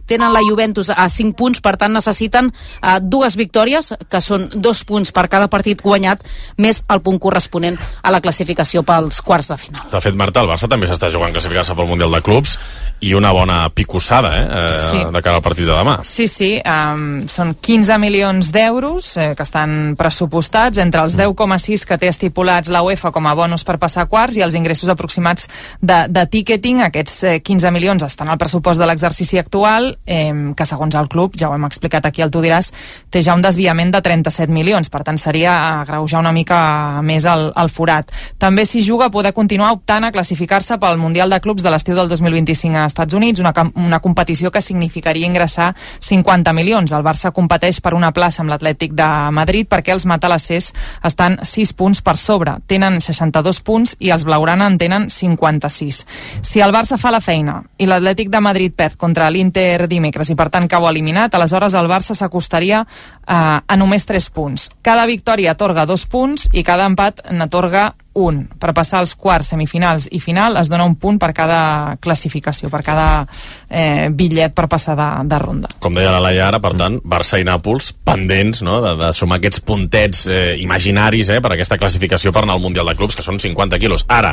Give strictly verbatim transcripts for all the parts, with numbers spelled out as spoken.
tenen la Juventus a cinc punts, per tant necessiten uh, dues victòries, que són dos punts per cada partit guanyat, més el punt corresponent a la classificació pels quarts de final. De fet, Marta, el Barça també s'està jugant classificar-se pel Mundial de Clubs i una bona picossada eh, eh, sí. de cara al partit de demà. Sí, sí, um, són quinze milions d'euros eh, que estan pressupostats entre els deu coma sis que té estipulats la UEFA com a bonus per passar quarts i els ingressos aproximats de, de ticketing. Aquests eh, quinze milions estan al pressupost de l'exercici actual, eh, que segons el club, ja ho hem explicat aquí al Tu diràs, té ja un desviament de trenta-set milions, per tant seria agreujar una mica més el, el forat. També s'hi juga a poder continuar optant a classificar-se pel Mundial de Clubs de l'estiu del dos mil vint-i-cinc a Estats Units, una, una competició que significaria ingressar cinquanta milions. El Barça competeix per una plaça amb l'Atlètic de Madrid perquè els matalassers estan sis punts per sobre. Tenen seixanta-dos punts i els blaugrana en tenen cinquanta-sis. Si el Barça fa la feina i l'Atlètic de Madrid perd contra l'Inter dimecres i per tant cau eliminat, aleshores el Barça s'acostaria eh, a només tres punts. Cada victòria atorga dos punts i cada empat n'atorga un. Per passar als quarts, semifinals i final es dona un punt per cada classificació, per cada eh, bitllet per passar de, de ronda. Com deia la Laia ara, per tant, Barça i Nàpols pendents, no?, de, de sumar aquests puntets eh, imaginaris eh, per aquesta classificació per anar al Mundial de Clubs, que són cinquanta quilos. Ara,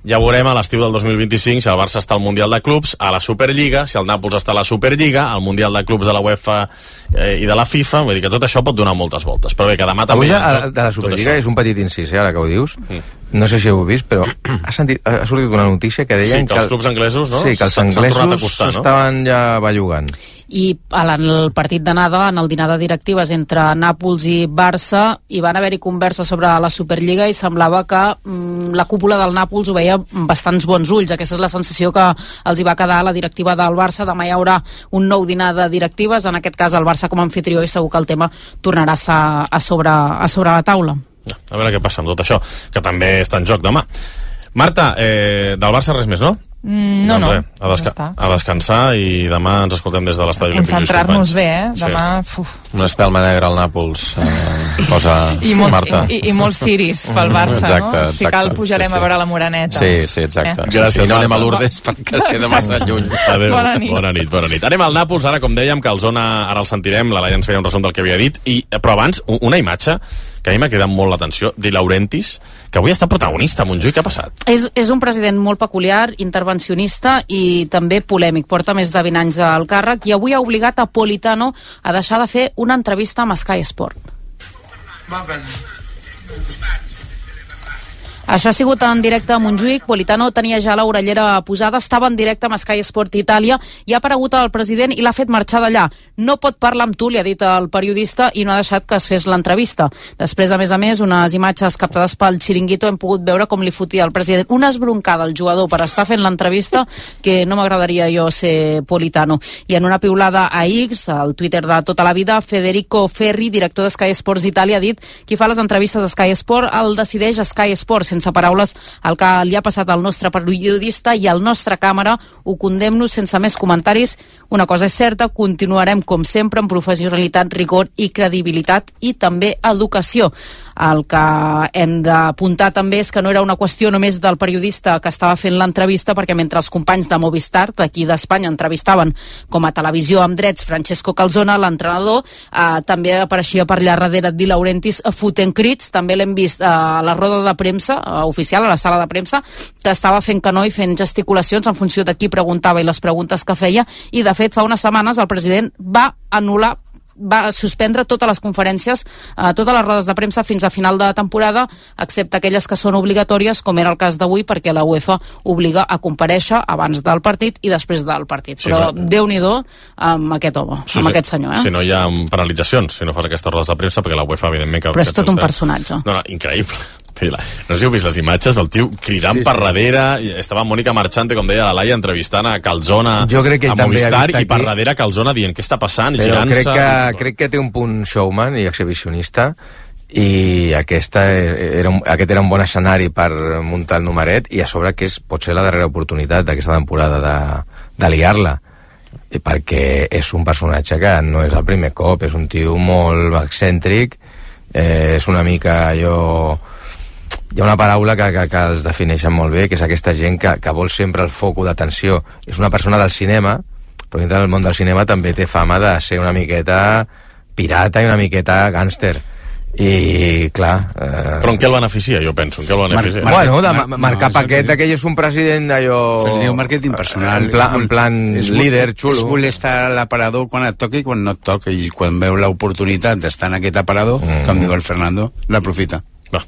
ja veurem a l'estiu del dos mil vint-i-cinc si el Barça està al Mundial de Clubs, a la Superliga, si el Nàpols està a la Superliga, al Mundial de Clubs de la UEFA eh, i de la FIFA. Vull dir que tot això pot donar moltes voltes. Però bé, que demà també... Avui de, de la Superliga és un petit incís, eh, ara que ho dius. Mm. No sé si ho heu vist, però ha, sentit, ha sortit una notícia que deien sí, que, que els clubs anglesos, no? Sí, que els anglesos s'estaven no? ja bellugant. I en el partit d'anada, en el dinar de directives entre Nàpols i Barça, hi van haver-hi converses sobre la Superliga i semblava que mm, la cúpula del Nàpols ho veia amb bastants bons ulls. Aquesta és la sensació que els hi va quedar a la directiva del Barça. Demà hi haurà un nou dinar de directives, en aquest cas el Barça com a anfitrió, i segur que el tema tornarà a, a, sobre, a sobre la taula. A veure què passa amb tot això, que també està en joc demà. Marta, eh, del Barça res més, no? Mm, no, doncs no. Bé, a, desca a descansar i demà ens escoltem des de l'Estadi Olímpic. Concentrar-nos bé, eh? Demà... Sí. Una espelma negra al Nàpols eh, posa I molt, Marta. I, i, i molts ciris pel Barça, exacte, no? Exacte, si cal pujarem sí, sí. a veure la Moreneta. Sí, sí, exacte. Eh? Gràcies. Sí, no anem a Lourdes perquè queda massa lluny. Adéu. Bona nit. Bona nit, bona nit. Anem al Nàpols, ara com dèiem, que el Zona ara el sentirem, la Laia ens feia un resum del que havia dit, i, però abans, una imatge que a mi m'ha cridat molt l'atenció, Di Laurentiis, que avui està protagonista a Montjuïc. Què ha passat? És, és un president molt peculiar, intervencionista i també polèmic. Porta més de vint anys al càrrec i avui ha obligat a Politano a deixar de fer una entrevista amb Sky Sport. Va bene. Això ha sigut en directe a Montjuïc. Politano tenia ja l'orellera posada, estava en directe amb Sky Sport Itàlia i ha aparegut el president i l'ha fet marxar d'allà. No pot parlar amb tu, li ha dit el periodista, i no ha deixat que es fes l'entrevista. Després, a més a més, unes imatges captades pel Chiringuito hem pogut veure com li fotia al president una esbroncada al jugador per estar fent l'entrevista, que no m'agradaria jo ser Politano. I en una piulada a X, al Twitter de tota la vida, Federico Ferri, director de Sky Sports Itàlia, ha dit: qui fa les entrevistes a Sky Sport el decideix a Sky Sport. Sense paraules, el que li ha passat al nostre periodista i al nostre càmera ho condemno sense més comentaris. Una cosa és certa, continuarem com sempre amb professionalitat, rigor i credibilitat i també educació. El que hem d'apuntar també és que no era una qüestió només del periodista que estava fent l'entrevista, perquè mentre els companys de Movistar d'aquí d'Espanya entrevistaven com a televisió amb drets Francesco Calzona, l'entrenador, eh, també apareixia per allà darrere Di Laurentiis fotent crits. També l'hem vist eh, a la roda de premsa eh, oficial, a la sala de premsa, que estava fent canó i fent gesticulacions en funció de qui preguntava i les preguntes que feia, i de fet fa unes setmanes el president va anul·lar va suspendre totes les conferències, eh, totes les rodes de premsa fins a final de temporada, excepte aquelles que són obligatòries, com era el cas d'avui, perquè la UEFA obliga a comparèixer abans del partit i després del partit. Sí, però no. Déu-n'hi-do amb aquest home, Sí, amb sí. aquest senyor. Eh? Si no hi ha penalitzacions, si no fas aquestes rodes de premsa, perquè la UEFA, evidentment... Que, però és que tot un té- personatge. No, no, increïble. No sé si heu vist les imatges del tio cridant sí, sí. per darrere, estava Mònica Marchante, com deia la Laia, entrevistant a Calzona, jo crec que a també Movistar, i per aquí... darrere Calzona dient què està passant, i però girant-se... crec que, crec que té un punt showman i exhibicionista, i aquesta era un, aquest era un bon escenari per muntar el numeret, i a sobre que és potser la darrera oportunitat d'aquesta temporada de, de liar-la, perquè és un personatge que no és el primer cop, és un tio molt excèntric, eh, és una mica allò... Hi ha una paraula que, que, que els defineixen molt bé, que és aquesta gent que, que vol sempre el foco d'atenció. És una persona del cinema, però dintre del món del cinema també té fama de ser una miqueta pirata i una miqueta gàngster. I, clar... Eh... Però en què el beneficia, jo penso? En què el beneficia? Mar bueno, de mar marcar no, paquet, aquell és un president allò... Se li diu màrqueting personal. En, pla, en plan és líder, xulo. És voler estar a l'aparador quan et toca i quan no et toca, i quan veu l'oportunitat d'estar en aquest aparador, mm. com diu el Fernando, l'aprofita. Va.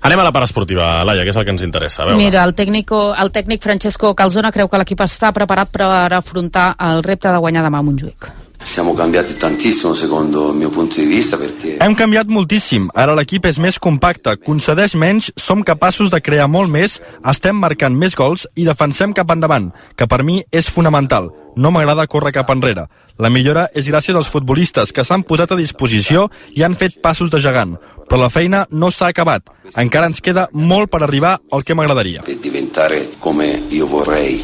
Anem a la part esportiva, Laia, que és el que ens interessa. A Mira, el, tècnico, el tècnic Francesco Calzona creu que l'equip està preparat per afrontar el repte de guanyar demà a Montjuïc. Siamo cambiati tantissimo secondo il mio punto di vista perché... Hem canviat moltíssim, ara l'equip és més compacte, concedeix menys, som capaços de crear molt més, estem marcant més gols i defensem cap endavant, que per mi és fonamental. No m'agrada córrer cap enrere. La millora és gràcies als futbolistes que s'han posat a disposició i han fet passos de gegant, però la feina no s'ha acabat. Encara ens queda molt per arribar al que m'agradaria. Per diventare come io vorrei.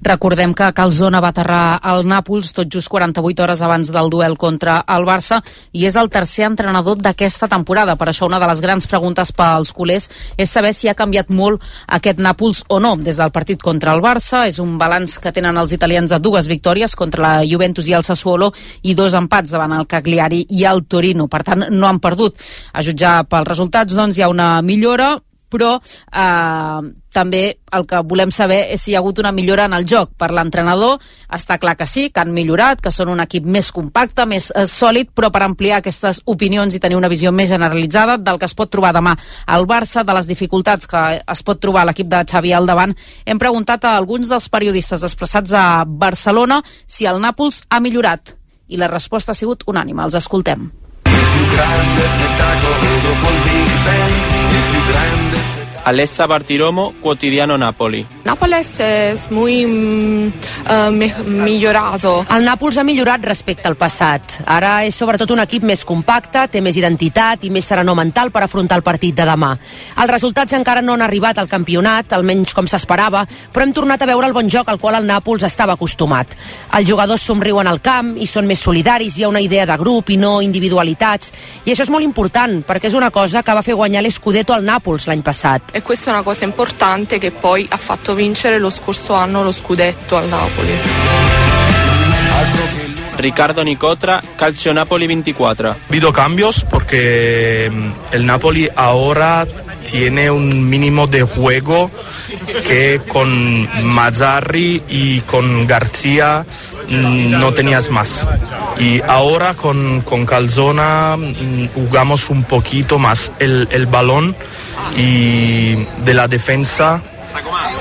Recordem que Calzona va aterrar al Nàpols tot just quaranta-vuit hores abans del duel contra el Barça i és el tercer entrenador d'aquesta temporada. Per això una de les grans preguntes pels culers és saber si ha canviat molt aquest Nàpols o no. Des del partit contra el Barça és un balanç que tenen els italians de dues victòries contra la Juventus i el Sassuolo i dos empats davant el Cagliari i el Torino. Per tant, no han perdut. A jutjar pels resultats, doncs, hi ha una millora, però eh, també el que volem saber és si hi ha hagut una millora en el joc. Per l'entrenador està clar que sí, que han millorat, que són un equip més compacte, més eh, sòlid, però per ampliar aquestes opinions i tenir una visió més generalitzada del que es pot trobar demà al Barça, de les dificultats que es pot trobar l'equip de Xavi al davant, hem preguntat a alguns dels periodistes desplaçats a Barcelona si el Nàpols ha millorat, i la resposta ha sigut unànime. Els escoltem. Alessa Bartiromo, Quotidiano Napoli. Nápoles es muy uh, millorato. El Nàpols ha millorat respecte al passat. Ara és sobretot un equip més compacte, té més identitat i més serenor mental per afrontar el partit de demà. Els resultats encara no han arribat al campionat, almenys com s'esperava, però hem tornat a veure el bon joc al qual el Nàpols estava acostumat. Els jugadors somriuen al camp i són més solidaris, hi ha una idea de grup i no individualitats, i això és molt important, perquè és una cosa que va fer guanyar l'Scudetto al Nàpols l'any passat. E questa è una cosa importante che poi ha fatto vincere lo scorso anno lo scudetto al Napoli. Ricardo Nicotra, Calcio Napoli veinticuatro. Ha habido cambios porque el Napoli ahora tiene un mínimo de juego que con Mazzarri y con García no tenías más. Y ahora con, con Calzona jugamos un poquito más el, el balón y de la defensa,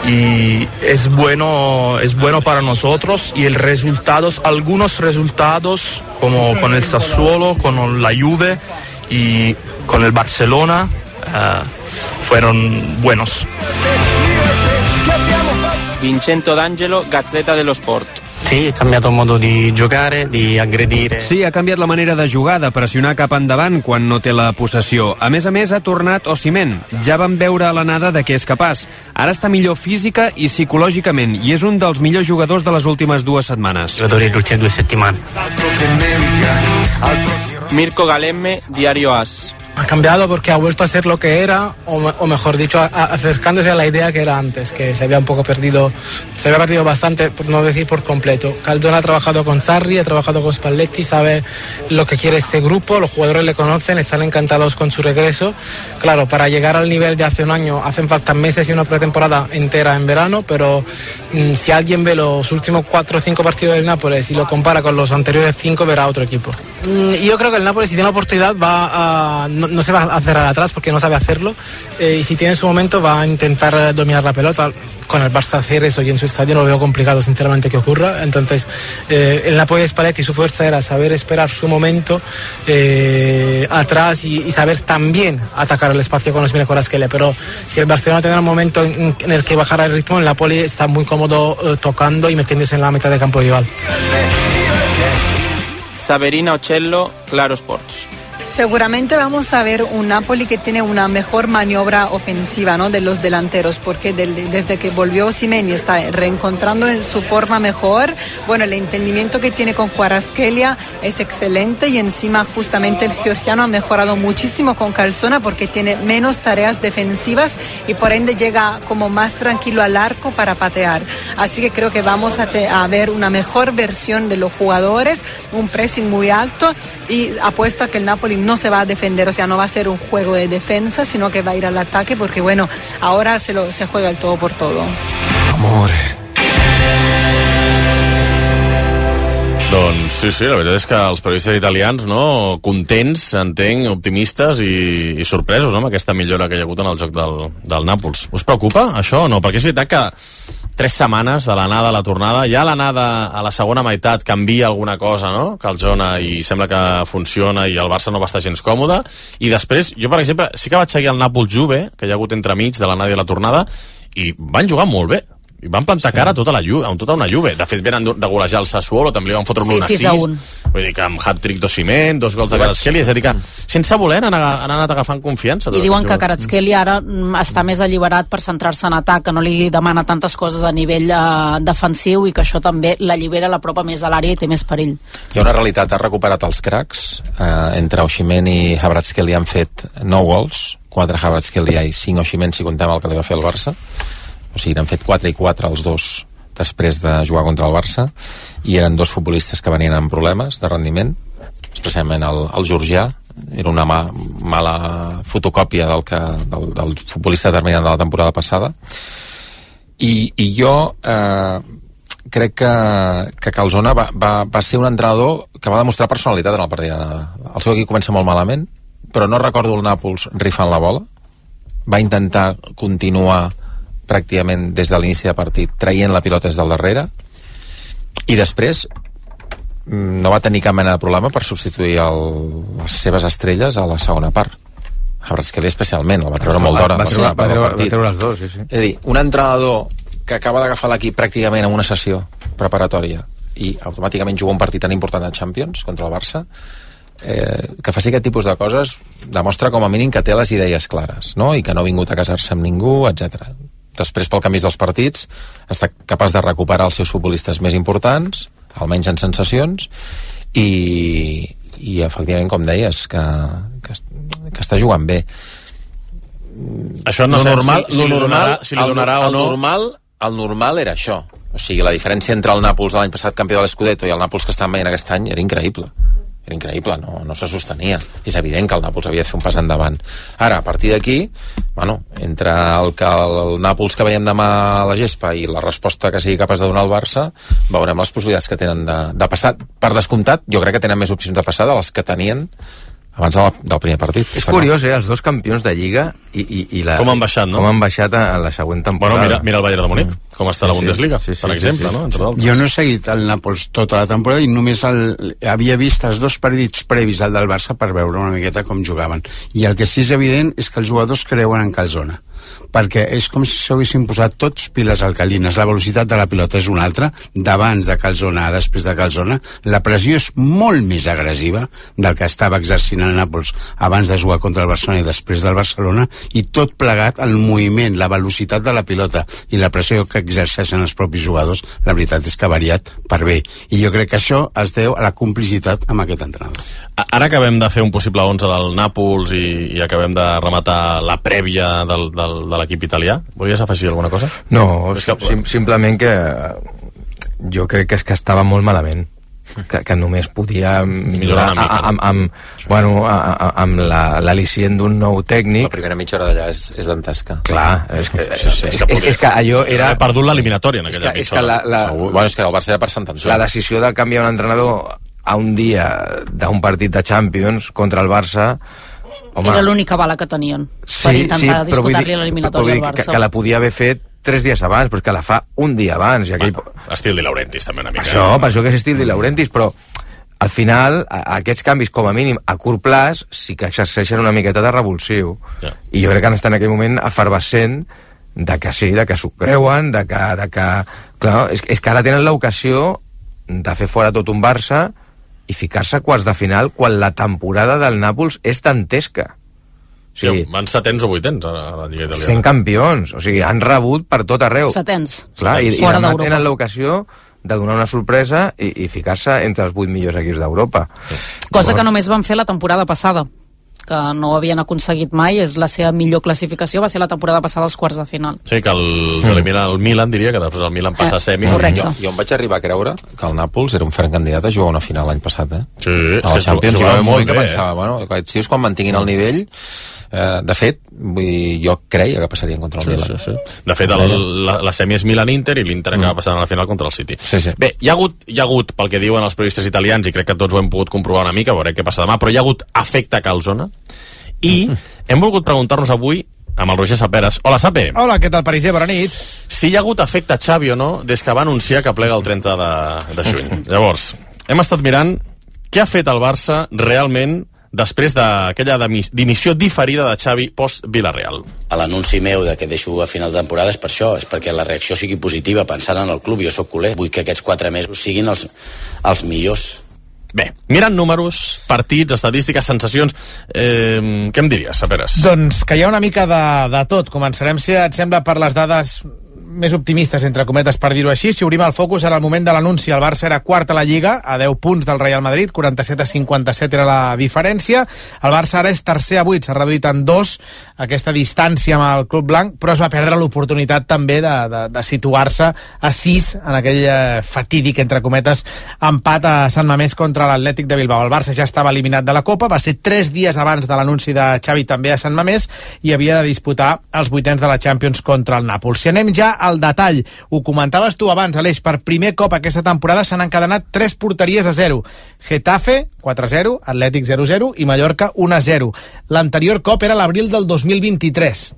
y es bueno es bueno para nosotros, y el resultados algunos resultados como con el Sassuolo, con la Juve y con el Barcelona uh, fueron buenos. Vincenzo D'Angelo, Gazzetta dello Sport. Sí, ha canviat el modo di giocare, di aggredire. Sí, ha canviat la manera de jugar, de pressionar cap endavant quan no té la possessió. A més a més, ha tornat Osimhen. Ja vam veure a l'anada de què és capaç. Ara està millor física i psicològicament, i és un dels millors jugadors de les últimes dues setmanes. Giocatori delle ultime due settimane. Mirko Galemme, Diario As. Ha cambiado porque ha vuelto a ser lo que era, o, o mejor dicho, a, a, acercándose a la idea que era antes, que se había un poco perdido, se había perdido bastante, por no decir por completo. Calzona ha trabajado con Sarri, ha trabajado con Spalletti, sabe lo que quiere este grupo, los jugadores le conocen, están encantados con su regreso. Claro, para llegar al nivel de hace un año hacen falta meses y una pretemporada entera en verano, pero mmm, si alguien ve los últimos cuatro o cinco partidos del Nápoles y lo compara con los anteriores cinco, verá otro equipo. Mm, yo creo que el Nápoles, si tiene la oportunidad, va a... No, no se va a cerrar atrás porque no sabe hacerlo, eh, y si tiene su momento va a intentar dominar la pelota. Con el Barça hacer eso y en su estadio no lo veo complicado sinceramente que ocurra. Entonces eh, el Napoli de Spalletti, su fuerza era saber esperar su momento eh, atrás y, y saber también atacar el espacio con Osimhen y Kvaratskhelia, pero si el Barcelona tendrá un momento en, en el que bajara el ritmo, el Napoli está muy cómodo eh, tocando y metiéndose en la mitad del campo rival. Saverina Ocello, Claro Sports. Seguramente vamos a ver un Napoli que tiene una mejor maniobra ofensiva, ¿no?, de los delanteros, porque del, desde que volvió Osimhen y está reencontrando en su forma mejor, bueno, el entendimiento que tiene con Kvaratskhelia es excelente, y encima justamente el georgiano ha mejorado muchísimo con Calzona porque tiene menos tareas defensivas y por ende llega como más tranquilo al arco para patear. Así que creo que vamos a, te, a ver una mejor versión de los jugadores, un pressing muy alto, y apuesto a que el Napoli no se va a defender, o sea, no va a ser un juego de defensa, sino que va a ir al ataque, porque bueno, ahora se, lo, se juega el todo por todo. Amore. Doncs sí, sí, la veritat és que els periodistes italians, no, contents, entenc, optimistes i, i sorpresos, no?, amb aquesta millora que hi ha hagut en el joc del, del Nàpols. Us preocupa això o no? Perquè és veritat que tres setmanes de l'anada a la tornada, ja l'anada a la segona meitat canvia alguna cosa, no?, Calzona, i sembla que funciona i el Barça no va estar gens còmode, i després, jo per exemple, sí que vaig seguir el Nàpols-Juve, que hi ha hagut entremig de l'anada i la tornada, i van jugar molt bé. I van plantar sí. cara a tota, la Juve, a tota una Juve. De fet, venen de golejar el Sassuolo, també li van fotre un sí, un a sis. Vull dir que amb hat-trick d'Osimhen, dos gols de Kvaratskhelia, és a dir que sense voler han, han anat agafant confiança. I diuen que Kvaratskhelia ara està més alliberat per centrar-se en atac, que no li demana tantes coses a nivell uh, defensiu, i que això també l'allibera, l'apropa més a l'àrea i té més perill. Hi ha una realitat, ha recuperat els cracs. Eh, entre Osimhen i Kvaratskhelia han fet nou gols, quatre Kvaratskhelia i cinc Osimhen, si contem el que li va fer el Barça. O sigui, n'han fet quatre i quatre els dos després de jugar contra el Barça, i eren dos futbolistes que venien amb problemes de rendiment, especialment el, el georgià, era una ma, mala fotocòpia del, que, del, del futbolista determinant de la temporada passada, i, i jo eh, crec que, que Calzona va, va, va ser un entrenador que va demostrar personalitat en el partit d'anada. El seu equip comença molt malament, però no recordo el Nàpols rifant la bola, va intentar continuar pràcticament des de l'inici de partit traient la pilota des del darrere, i després no va tenir cap mena de problema per substituir el, les seves estrelles a la segona part. Kvaratskhelia especialment, el va treure molt d'hora va, va, va, va treure les dos, sí, sí. És a dir, un entrenador que acaba d'agafar l'equip pràcticament en una sessió preparatòria i automàticament juga un partit tan important de Champions contra el Barça, eh, que faci aquest tipus de coses demostra com a mínim que té les idees clares, no?, i que no ha vingut a casar-se amb ningú, etcètera. Després, pel canvi dels partits, està capaç de recuperar els seus futbolistes més importants, almenys en sensacions, i, i efectivament, com deies, que, que, que està jugant bé. Això no lo sé normal, si, si, lo li donarà, normal, si li donarà el, o no. El normal, el normal era això. O sigui, la diferència entre el Nàpols de l'any passat, campió de l'Scudetto, i el Nàpols que estan veient aquest any era increïble. Era increïble, no, no se sostenia. És evident que el Nàpols havia de fer un pas endavant. Ara, a partir d'aquí, bueno, entre el que el Nàpols que veiem demà a la gespa i la resposta que sigui capaç de donar el Barça, veurem les possibilitats que tenen de, de passar. Per descomptat, jo crec que tenen més opcions de passar de les que tenien abans del, del primer partit. És curiós, eh? Els dos campions de Lliga i, i, i la, com han baixat, no? Com han baixat a, a la següent temporada. Bueno, mira, mira el Bayern de Múnich, mm. com està sí, la Bundesliga, sí, sí, per exemple, sí, sí. no? Entre d'altres. Jo no he seguit el Nàpols tota la temporada i només el, havia vist els dos partits previs al del Barça per veure una miqueta com jugaven. I el que sí és evident és que els jugadors creuen en Calzona, perquè és com si s'haguessin posat tots piles alcalines. La velocitat de la pilota és una altra, d'abans de Calzona a després de Calzona. La pressió és molt més agressiva del que estava exercint el Nàpols abans de jugar contra el Barcelona i després del Barcelona, i tot plegat el moviment, la velocitat de la pilota i la pressió que exerceixen els propis jugadors, la veritat és que ha variat per bé. I jo crec que això es deu a la complicitat amb aquest entrenador. Ara acabem de fer un possible onze del Nàpols i, i acabem de rematar la prèvia del, del, de l'equip italià. Volies afegir alguna cosa? No, que... sim, simplement que jo crec que és que estava molt malament. Que, que només podia millorar amb, amb, amb, bueno, amb l'al·licient d'un nou tècnic. La primera mitja hora d'allà és, és dantesca. Clar, és que, sí, sí, és, és, és que allò era... He perdut l'eliminatòria en aquella mitja hora. La, la, bueno, és que el Barça era per sentenciar. La decisió de canviar un entrenador a un dia d'un partit de Champions contra el Barça, home, era l'única bala que tenien sí, per intentar sí, disputar-li l'eliminatòria al Barça. Que, que la podia haver fet tres dies abans, però és que la fa un dia abans. I aquell... bueno, estil Di Laurentiis també una mica. Això, per això que és estil Di Laurentiis, però al final a, aquests canvis, com a mínim a curt plaç, sí que exerceixen una miqueta de revulsiu. Ja. I jo crec que han estat en aquell moment efervescent de que sí, de que s'ho creuen, de que... De que clar, és, és que ara tenen l'ocasió de fer fora tot un Barça i ficar-se a quarts de final quan la temporada del Nàpols és dantesca. Sí, sí, van setens o vuitens a la Lliga Italiana. Sent campions, o sigui, han rebut per tot arreu. Setens. Clar, i, i fora demà d'Europa. tenen l'ocasió de donar una sorpresa i, i ficar-se entre els vuit millors equips d'Europa. Sí. Cosa Llavors, que només van fer la temporada passada, que no havien aconseguit mai. És la seva millor classificació, va ser la temporada passada als quarts de final. Sí, que els elimina el Milan, diria, que després el Milan passa a semi. Correcte. Jo, jo em vaig arribar a creure que el Nàpols era un ferm candidat a jugar una final l'any passat, eh? Sí, a és la que Champions hi va jugava haver un moment molt que bé, pensava, bueno, aquests tios quan mantinguin el nivell, eh, de fet, vull dir, jo creia que passarien contra el Sí, Milan. sí, sí. De fet, el, la, la semi és Milan-Inter i l'Inter acaba passant a la final contra el City. Sí, sí. Bé, hi ha, hagut, hi ha hagut, pel que diuen els periodistes italians, i crec que tots ho hem pogut comprovar una mica, veurem què passa demà, però hi ha hagut efecte calzona, i hem volgut preguntar-nos avui amb el Roger Saperes. Hola, Sape. Hola, què tal, Pariser? Bona nit. Si hi ha hagut efecte Xavi o no des que va anunciar que plega el trenta de, de juny. Llavors, hem estat mirant què ha fet el Barça realment després d'aquella dimissió diferida de Xavi post-Villarreal. A l'anunci meu de que deixo a final de temporada és per això, és perquè la reacció sigui positiva pensant en el club. Jo sóc culer, vull que aquests quatre mesos siguin els, els millors. Bé, mirant números, partits, estadístiques, sensacions, eh, què em diries, Saperes? Doncs que hi ha una mica de, de tot. Començarem, si et sembla, per les dades més optimistes, entre cometes, per dir-ho així. Si obrim el focus, era el moment de l'anunci. El Barça era quart a la Lliga, a deu punts del Real Madrid, quaranta-set a cinquanta-set era la diferència. El Barça ara és tercer a vuit, s'ha reduït en dos aquesta distància amb el Club Blanc, però es va perdre l'oportunitat també de, de, de situar-se a sis en aquell eh, fatídic, entre cometes, empat a Sant Mamés contra l'Atlètic de Bilbao. El Barça ja estava eliminat de la Copa, va ser tres dies abans de l'anunci de Xavi també a Sant Mamés i havia de disputar els vuitens de la Champions contra el Nàpols. Si anem ja al detall, ho comentaves tu abans, Aleix, per primer cop aquesta temporada s'han encadenat tres porteries a zero. Getafe, quatre a zero, Atlètic zero a zero i Mallorca un a zero. L'anterior cop era l'abril del dos mil vint-i-tres.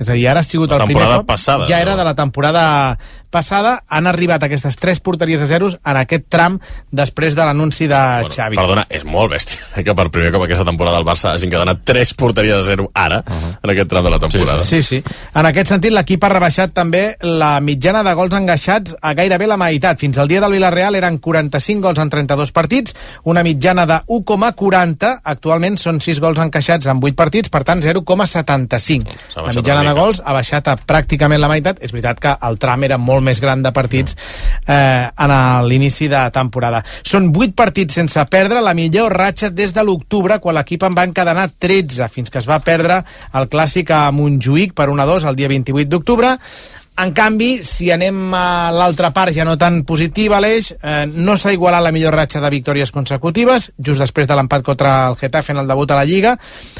És a dir, ara ha sigut el primer cop, passada, ja era de la temporada passada, han arribat aquestes tres porteries a zeros en aquest tram després de l'anunci de bueno, Xavi. Perdona, és molt bèstia que per primer cop aquesta temporada el Barça hagin encadenat tres porteries a zero ara, uh -huh. en aquest tram de la temporada. Sí, sí. sí. En aquest sentit, l'equip ha rebaixat també la mitjana de gols engaixats a gairebé la meitat. Fins al dia del Villarreal eren quaranta-cinc gols en trenta-dos partits, una mitjana de u coma quaranta, actualment són sis gols encaixats en vuit partits, per tant zero coma setanta-cinc. La mitjana de gols ha baixat a pràcticament la meitat. És veritat que el tram era molt més gran de partits eh, en l'inici de temporada. Són vuit partits sense perdre, la millor ratxa des de l'octubre, quan l'equip en va encadenar tretze, fins que es va perdre el clàssic a Montjuïc per un a dos el dia vint-i-vuit d'octubre. En canvi, si anem a l'altra part ja no tan positiva, Aleix, eh, no s'ha igualat la millor ratxa de victòries consecutives, just després de l'empat contra el Getafe en el debut a la Lliga.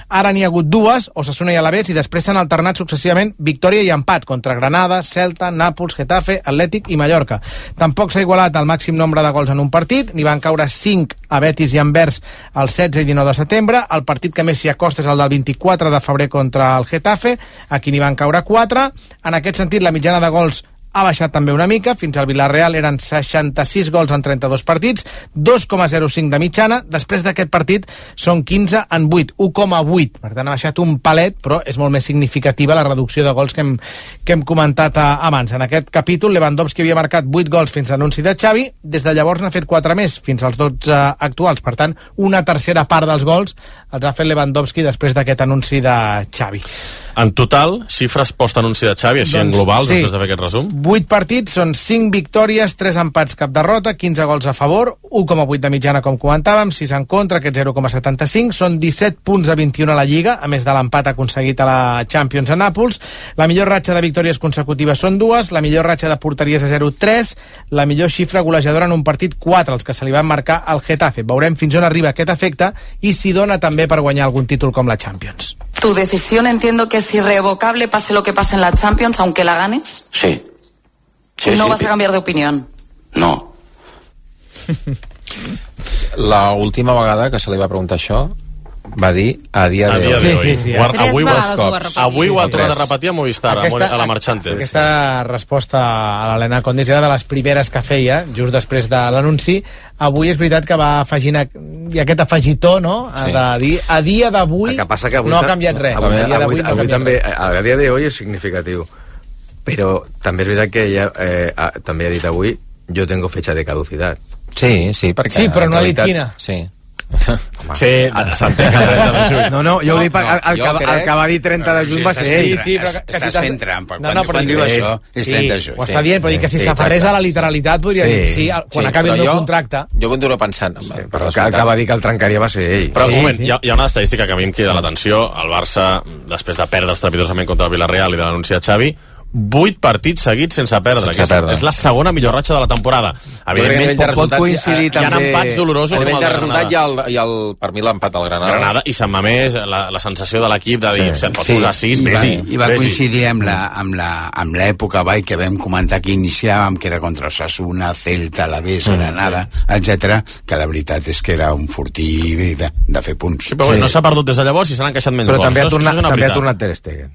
Ara n'hi ha hagut dues, Osasuna i Alavés, i després s'han alternat successivament victòria i empat contra Granada, Celta, Nàpols, Getafe, Atlètic i Mallorca. Tampoc s'ha igualat el màxim nombre de gols en un partit, n'hi van caure cinc a Betis i Anvers el setze i dinou de setembre. El partit que més s'hi acosta és el del vint-i-quatre de febrer contra el Getafe, aquí n'hi van caure quatre. En aquest sentit, la mitjana de gols ha baixat també una mica, fins al Villarreal eren seixanta-sis gols en trenta-dos partits, dos coma zero cinc de mitjana, després d'aquest partit són quinze en vuit, u coma vuit, per tant ha baixat un palet, però és molt més significativa la reducció de gols que hem, que hem comentat abans. En aquest capítol Lewandowski havia marcat vuit gols fins a l'anunci de Xavi, des de llavors n'ha fet quatre més, fins als dotze actuals, per tant una tercera part dels gols els ha fet Lewandowski després d'aquest anunci de Xavi. En total, xifres post-anunci de Xavi, així doncs, en global, sí. Després de fer aquest resum? vuit partits, són cinc victòries, tres empats, cap derrota, quinze gols a favor, u coma vuit de mitjana, com comentàvem, sis en contra, aquest zero coma setanta-cinc, són disset punts de vint-i-un a la Lliga, a més de l'empat aconseguit a la Champions a Nàpols. La millor ratxa de victòries consecutives són dues, la millor ratxa de porteries a zero, tres, la millor xifra golejadora en un partit, quatre, els que se li van marcar al Getafe. Veurem fins on arriba aquest efecte i si dona també per guanyar algun títol com la Champions. Tu decisión entiendo que es irrevocable, pase lo que pase en la Champions, aunque la ganes. Sí. sí no sí, vas sí. a cambiar de opinión. No. La última vegada que se li va preguntar això va dir a dia a de dia hoy. Sí, sí, sí. Guarda, avui, Tres ho vegades ho ha avui ho ha repetit. tornat a repetir a Movistar, aquesta, a la Marchante. Aquesta resposta a l'Helena Condis era de les primeres que feia, just després de l'anunci. Avui és veritat que va afegint i aquest afegitó, no?, Sí. de dir a dia d'avui no ha canviat res. Avui, a dia avui, d'avui no ha avui canviat també, res. a dia d'avui és significatiu. Però també és veritat que ella eh, ha, també ha dit avui, yo tengo fecha de caducidad. Sí, sí, perquè... Sí, però no ha dit realitat, quina. Sí. Sí, s'entén el trenta de juny. No, no, jo ho dic perquè el, el, jo que, crec- el que va dir trenta de juny va ser ell. Sí, però que, que Estàs si t'has- fent trampa. No, Quan, no, però quan diu sí, això, és sí, trenta de juny. ho està dient, però dic que si Sí, s'aferrés exacte. a la literalitat podria Sí. dir sí, quan Sí, acabi el però meu jo- contracte. Jo continuo pensant... Sí, però el que, el que va dir que el trencaria va ser ell. Però un Sí, moment, sí. hi ha, hi ha una estadística que a mi em crida l'atenció. El Barça, després de perdre estrepitosament contra el Villarreal i de l'anunciat Xavi, vuit partits seguits sense perdre. Sense que és, perdre. és la segona millor ratxa de la temporada. Evidentment, Evidentment, pot, pot coincidir eh, també... Hi ha empats dolorosos a com nivell el de de resultat Granada. hi ha, el, hi ha el, per mi l'empat al Granada. Granada i Sant Mamés, la, la sensació de l'equip de dir, Sí. se'n pot Sí. posar sis, I va, vés-hi, i va vés-hi. coincidir amb la, amb la, amb l'època vai, que vam comentar que iniciàvem, que era contra Osasuna, Celta, Alavés, Mm, Granada, etcètera, que la veritat és que era un fortí de, de fer punts. Sí, però sí. No s'ha perdut des de llavors i s'han encaixat menys Però gols. també ha Això és- tornat, això és una també ha veritat. tornat Ter Stegen.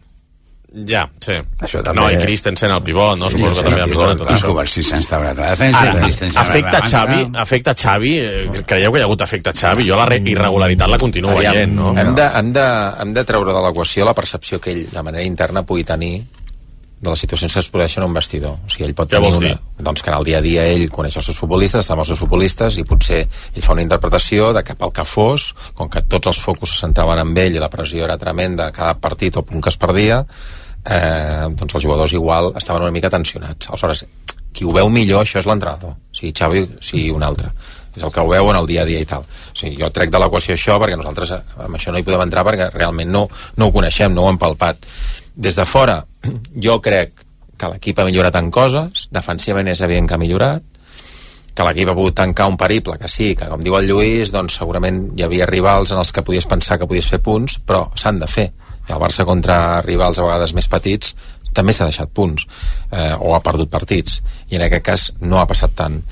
Ja, sí. Això també- No, i Christensen al pivot, no? Suposo Sí, que també ha sí, millorat tot i això. Kovacic s'ha instaurat a la defensa. Ara, i Christensen afecta a la Xavi, defensa. afecta Xavi, eh, creieu que hi ha hagut efecte Xavi? Jo la re- irregularitat la continuo Aviam, veient, no? Hem de, hem, de, hem de treure de l'equació la percepció que ell, de manera interna, pugui tenir de les situacions que es produeixen en un vestidor. O sigui, ell pot Què tenir vols una... dir? Doncs que en el dia a dia ell coneix els seus futbolistes, està amb els seus futbolistes, i potser ell fa una interpretació de que pel que fos, com que tots els focus se centraven en ell i la pressió era tremenda cada partit o punt que es perdia, eh, doncs els jugadors igual estaven una mica tensionats. Aleshores, qui ho veu millor, això és l'entrenador, sigui Xavi, sigui un altre. És el que ho veu en el dia a dia i tal. O sigui, jo trec de l'equació això perquè nosaltres amb això no hi podem entrar perquè realment no, no ho coneixem, no ho hem palpat. Des de fora, jo crec que l'equip ha millorat en coses, defensivament és evident que ha millorat, que l'equip ha pogut tancar un periple, que sí, que com diu el Lluís, doncs segurament hi havia rivals en els que podies pensar que podies fer punts, però s'han de fer. I el Barça contra rivals a vegades més petits també s'ha deixat punts, eh, o ha perdut partits, i en aquest cas no ha passat tant.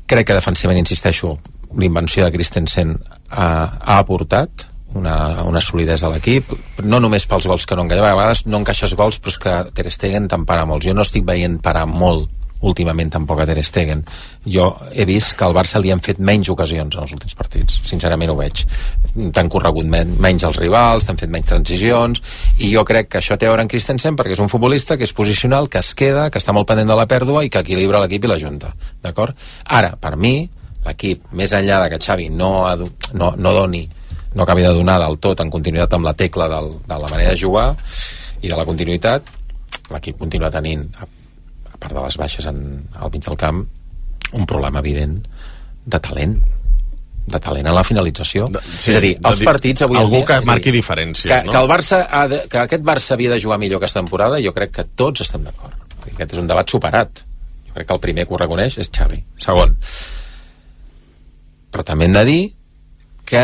Crec que defensivament, insisteixo, l'invenció de Christensen ha, ha aportat una, una solidesa a l'equip, no només pels gols que no encaixen, a vegades no encaixes gols, però és que Ter Stegen te'n para molts. Jo no estic veient parar molt últimament tampoc a Ter Stegen. Jo he vist que al Barça li han fet menys ocasions en els últims partits, sincerament ho veig. T'han corregut men menys els rivals, t'han fet menys transicions, i jo crec que això té a veure en Christensen perquè és un futbolista que és posicional, que es queda, que està molt pendent de la pèrdua i que equilibra l'equip i la junta, d'acord? Ara, per mi, l'equip, més enllà de que Xavi no, ha, no, no doni, no acabi de donar del tot en continuïtat amb la tecla del, de la manera de jugar i de la continuïtat, l'equip continua tenint, a, a part de les baixes en, al mig del camp, un problema evident de talent de talent a la finalització. De, sí, és a dir, els dir, partits avui algú dia, que dir, marqui diferències, que, no? que el Barça ha de, que aquest Barça havia de jugar millor aquesta temporada, jo crec que tots estem d'acord. Aquest és un debat superat. Jo crec que el primer que ho reconeix és Xavi. Segon, però també hem de dir que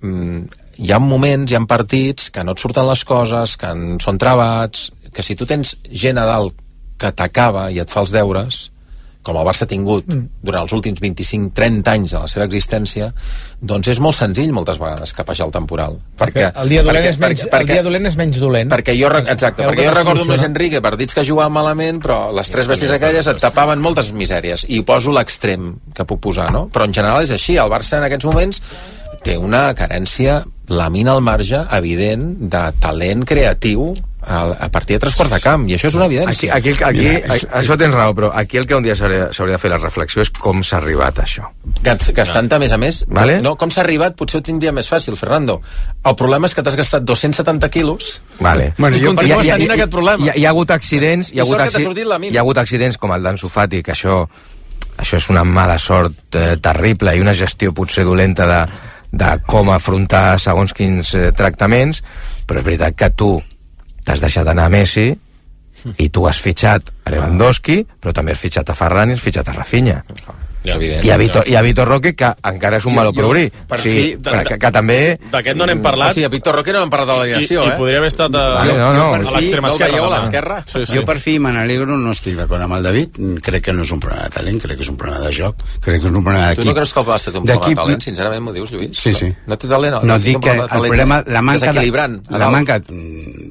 mm, hi ha moments, hi ha partits que no et surten les coses, que en són travats, que si tu tens gent a dalt que t'acaba i et fa els deures, com el Barça ha tingut durant els últims vint-i-cinc trenta anys de la seva existència, doncs és molt senzill moltes vegades capejar el temporal. Perquè, el dia dolent, perquè, és, menys, perquè, el dia dolent és menys dolent. perquè jo, exacte, Heu perquè jo de recordo amb Luis solucionar. Enrique partits que jugaven malament, però les tres bèsties aquelles et tapaven moltes misèries, i poso l'extrem que puc posar, no? Però en general és així, el Barça en aquests moments té una carència, lamina al marge evident de talent creatiu a, a partir de tres quarts de camp, i això és una evidència. Aquí, aquí, aquí, aquí això tens raó, però aquí el que un dia s'hauria de fer la reflexió és com s'ha arribat a això. Gastant, a més a més, vale? no, com s'ha arribat potser ho tindria més fàcil, Fernando. El problema és que t'has gastat dos-cents setanta quilos vale. Bueno, i continues tenint aquest problema. Hi ha, hi ha hagut accidents, hi ha hagut, acci... hi ha hagut accidents com el d'Ansu Fati, que això, això és una mala sort eh, terrible i una gestió potser dolenta de, de com afrontar segons quins eh, tractaments, però és veritat que tu t'has deixat anar a Messi i tu has fitxat a Lewandowski, però també has fitxat a Ferran i has fitxat a Rafinha. Ja, evident, I a Vitor, ja. i a Vitor Roque, que encara és un malo per obrir. Per sí, fi, de, que, que també... D'aquest no n'hem parlat. O sigui, a Víctor Roque no hem parlat de la ligació, I, eh? I podria haver estat a, vale, no, no, a l'extrema no esquerra. No a l'esquerra? Sí, sí. Jo per fi me n'alegro, no estic d'acord amb el David, crec que no és un problema de talent, crec que és un problema de joc, crec que és un problema d'equip. Tu no creus que el Barça té un problema de talent? Sincerament m'ho dius, Lluís? Sí, sí. No té talent? No, no dic que el problema, la manca de, la manca,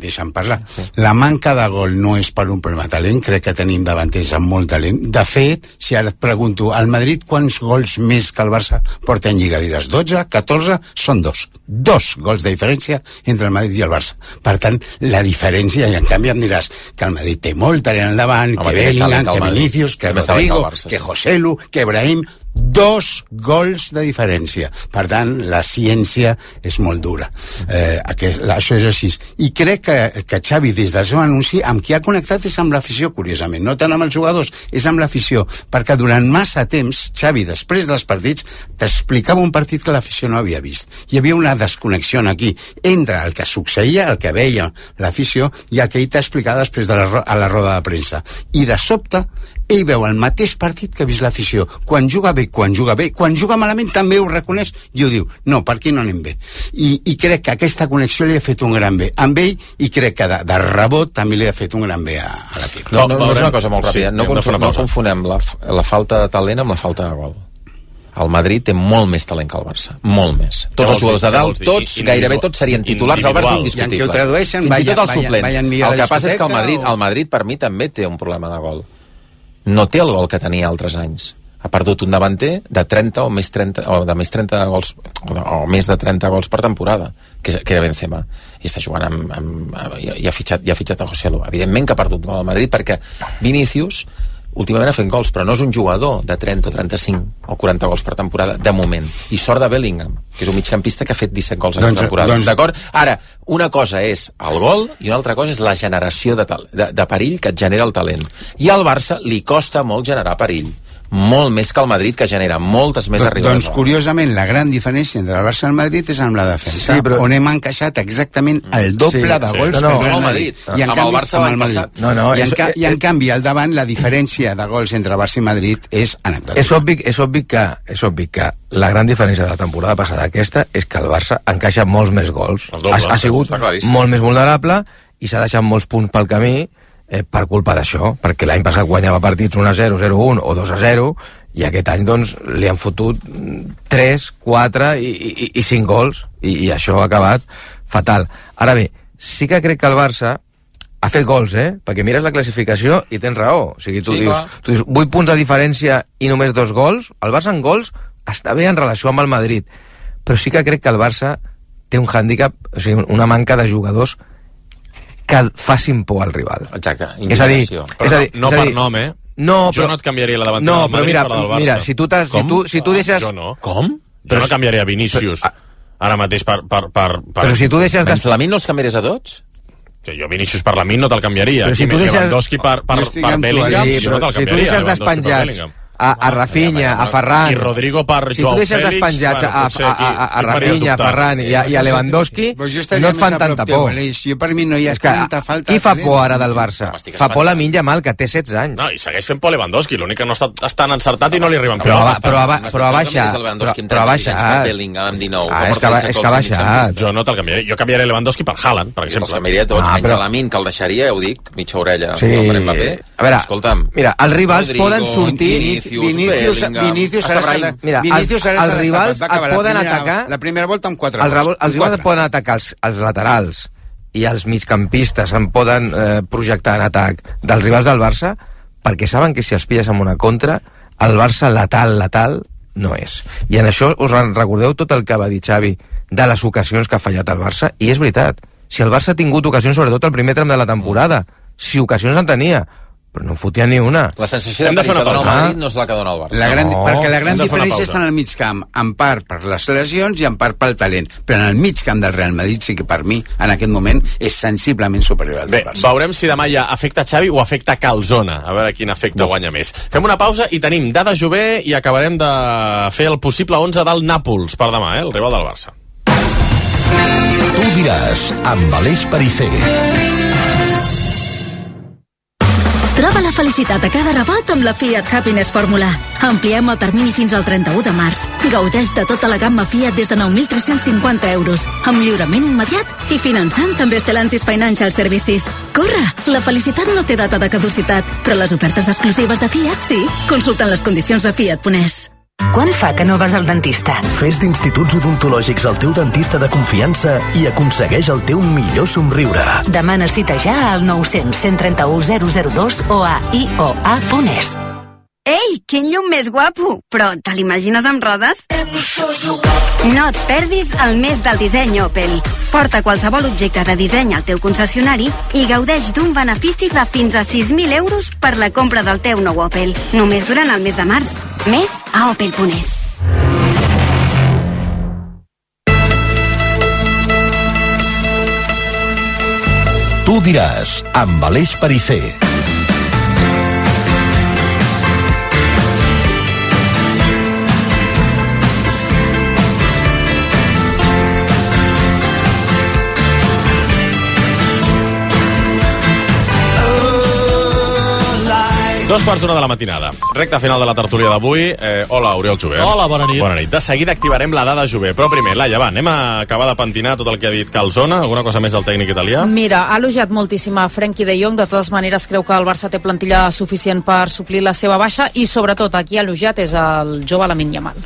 deixa'm parlar, sí. La manca de gol no és per un problema de talent, crec que tenim davanters amb molt talent. De fet, si ara et pregunto, al Madrid quants gols més que el Barça porta en Lliga? Diràs dotze, catorze, són dos. Dos gols de diferència entre el Madrid i el Barça. Per tant, la diferència, i en canvi em diràs que el Madrid té molt talent endavant, que Bellingham, que Vinicius, que Rodrigo, que Joselu, que Brahim, dos gols de diferència. Per tant, la ciència és molt dura. Eh, aquest, això és així. I crec que, que Xavi, des del seu anunci, amb qui ha connectat és amb l'afició, curiosament. No tant amb els jugadors, és amb l'afició. Perquè durant massa temps, Xavi, després dels partits, t'explicava un partit que l'afició no havia vist. Hi havia una desconnexió aquí entre el que succeïa, el que veia l'afició, i el que ell t'explicava després de la, a la roda de premsa. I de sobte, ell veu el mateix partit que ha vist l'afició. Quan juga bé, quan juga bé, quan juga malament també ho reconeix i ho diu, no, per aquí no anem bé. I, i crec que aquesta connexió li ha fet un gran bé amb ell, i crec que de, de rebot també li ha fet un gran bé a, a l'equip. No, no, no és una cosa molt ràpida, sí, no, confon, no confonem la, la falta de talent amb la falta de gol. El Madrid té molt més talent que el Barça, molt més. Tots els jugadors de dalt, tots, gairebé tots serien titulars, el Barça indiscutible. Fins i tot els suplents. El que passa és que el Madrid, el Madrid per mi també té un problema de gol. No té el gol que tenia altres anys. Ha perdut un davanter de trenta o més trenta, o de més trenta gols, o, de, o més de trenta gols per temporada, que, que era Benzema. I està jugant amb, amb, i, i, ha fitxat, i ha fitxat a Joselu. Evidentment que ha perdut gol al Madrid, perquè Vinícius últimament ha fet gols, però no és un jugador de trenta o trenta-cinc o quaranta gols per temporada, de moment. I sort de Bellingham, que és un migcampista que ha fet disset gols en doncs, temporada. Doncs... D'acord? Ara, una cosa és el gol i una altra cosa és la generació de, de, de perill que et genera el talent. I al Barça li costa molt generar perill. Molt més que el Madrid, que genera moltes més arribades. Doncs, curiosament, la gran diferència entre el Barça i el Madrid és amb la defensa, sí, però... on hem encaixat exactament el doble sí, de gols sí. no, no, que el Madrid. I en amb canvi, el Barça amb el Madrid. No, no, I, en, és, ca I en eh, canvi, al davant, la diferència de gols entre Barça i Madrid és anecdòtica. És obvi, és obvi que és obvi que la gran diferència de la temporada passada aquesta és que el Barça encaixa molts més gols. Doble, ha, ha sigut molt més vulnerable i s'ha deixat molts punts pel camí eh, per culpa d'això, perquè l'any passat guanyava partits un a zero, zero a un o dos a zero, i aquest any doncs li han fotut tres, quatre i, i, i cinc gols, i, i això ha acabat fatal. Ara bé, sí que crec que el Barça ha fet gols, eh? Perquè mires la classificació i tens raó. O sigui, tu, sí, dius, tu dius vuit punts de diferència i només dos gols. El Barça en gols està bé en relació amb el Madrid, però sí que crec que el Barça té un hàndicap, o sigui, una manca de jugadors que facin por al rival. Exacte. És a dir, però és a dir, no, no és a dir, per nom, eh? No, jo però, no et canviaria la davantera no, del Madrid mira, per la del Barça. Mira, si tu, si tu, si tu deixes... Jo no. Com? Jo no canviaria Vinícius però, ara mateix per... per, per, per... Però si tu deixes... Des... Lamin no els canviaries a tots? Que jo Vinícius per Lamin no te'l canviaria. Però si tu deixes... Lewandowski per, per, per Bellingham sí, no te'l canviaria. Si tu deixes despenjats a, a Rafinha, a Ferran... I Rodrigo per si Joao Fèlix... Si tu deixes despenjats bueno, a, a, a, a Rafinha, a Ferran i a, i a Lewandowski, no et fan tanta por. Jo per mi no hi ha tanta falta... Qui fa por ara del Barça? Fa por Lamine Yamal, que té setze anys. No, i segueix fent por Lewandowski, l'únic que no està, està tan encertat i no li arriben però, però, però, però, però ha baixat. Però ha baixat. Ah, és que, és que ha baixat. Jo no te'l canviaré. Jo canviaré Lewandowski per Haaland, per exemple. Els canviaria tots, menys Lamine, que el deixaria, ho dic, mitja orella. Sí. A veure, mira, els rivals poden sortir... Vinícius Vinícius ara s'ha de... Mira, Vinícius els, els rivals et poden primera, atacar... La primera volta amb quatre. Els, gols, els rivals et poden atacar els, els laterals i els migcampistes en poden eh, projectar en atac dels rivals del Barça perquè saben que si els pilles amb una contra el Barça letal, letal no és. I en això us recordeu tot el que va dir Xavi de les ocasions que ha fallat el Barça, i és veritat. Si el Barça ha tingut ocasions, sobretot el primer tram de la temporada, si ocasions en tenia, però no fotia ni una. La sensació de perill que dona el Madrid no és la que dona el Barça. La gran, no. Perquè la gran diferència està en el mig camp, en part per les lesions i en part pel talent. Però en el mig camp del Real Madrid sí que per mi, en aquest moment, és sensiblement superior al del Barça. Bé, veurem si demà hi ha efecte Xavi o efecte Calzona. A veure quin efecte no. guanya més. Fem una pausa i tenim Dada Jové i acabarem de fer el possible onze del Nàpols per demà, eh? El rival del Barça. Tu diràs, amb Aleix Perisser. Troba la felicitat a cada rebot amb la Fiat Happiness Fórmula. Ampliem el termini fins al trenta-u de març. Gaudeix de tota la gamma Fiat des de nou mil tres-cents cinquanta euros, amb lliurament immediat i finançant també Stellantis Financial Services. Corre! La felicitat no té data de caducitat, però les ofertes exclusives de Fiat sí. Consulta les condicions a Fiat punt es. Quan fa que no vas al dentista? Fes d'Instituts Odontològics el teu dentista de confiança i aconsegueix el teu millor somriure. Demana cita ja al nou cents, cent trenta-u, zero zero dos o a i o a punt es. Ei, quin llum més guapo! Però te l'imagines amb rodes? No et perdis el mes del disseny Opel. Porta qualsevol objecte de disseny al teu concessionari i gaudeix d'un benefici de fins a sis mil euros per la compra del teu nou Opel. Només durant el mes de març. Més a opel punt es. Tu diràs, amb Aleix Perisser. Dos quarts d'una de la matinada. Recta final de la tertúlia d'avui. Eh, hola, Oriol Jové. Hola, bona nit. Bona nit. De seguida activarem la dada Jové. Però primer, Laia, va, anem a acabar de pentinar tot el que ha dit Calzona. Alguna cosa més del tècnic italià? Mira, ha elogiat moltíssim a Frenkie de Jong. De totes maneres, creu que el Barça té plantilla suficient per suplir la seva baixa i, sobretot, aquí ha elogiat és el jove Lamine Yamal.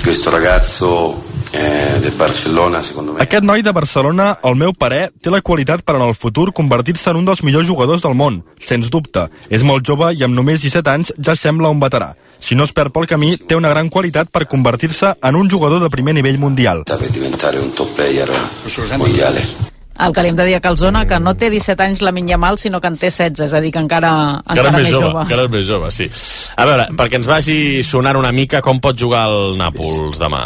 Questo ragazzo eh, del Barcelona, secondo me. Aquest noi de Barcelona, al meu parer, té la qualitat per en el futur convertir-se en un dels millors jugadors del món, sens dubte. És molt jove i amb només disset anys ja sembla un veterà. Si no es perd pel camí, té una gran qualitat per convertir-se en un jugador de primer nivell mundial. Deve diventare un top player mondiale. El que li hem de dir a Calzona, que no té disset anys Lamine Yamal, sinó que en té setze, és a dir, que encara, encara, encara més jove. jove. Encara és més jove, sí. A veure, perquè ens vagi sonant una mica, com pot jugar el Nàpols demà?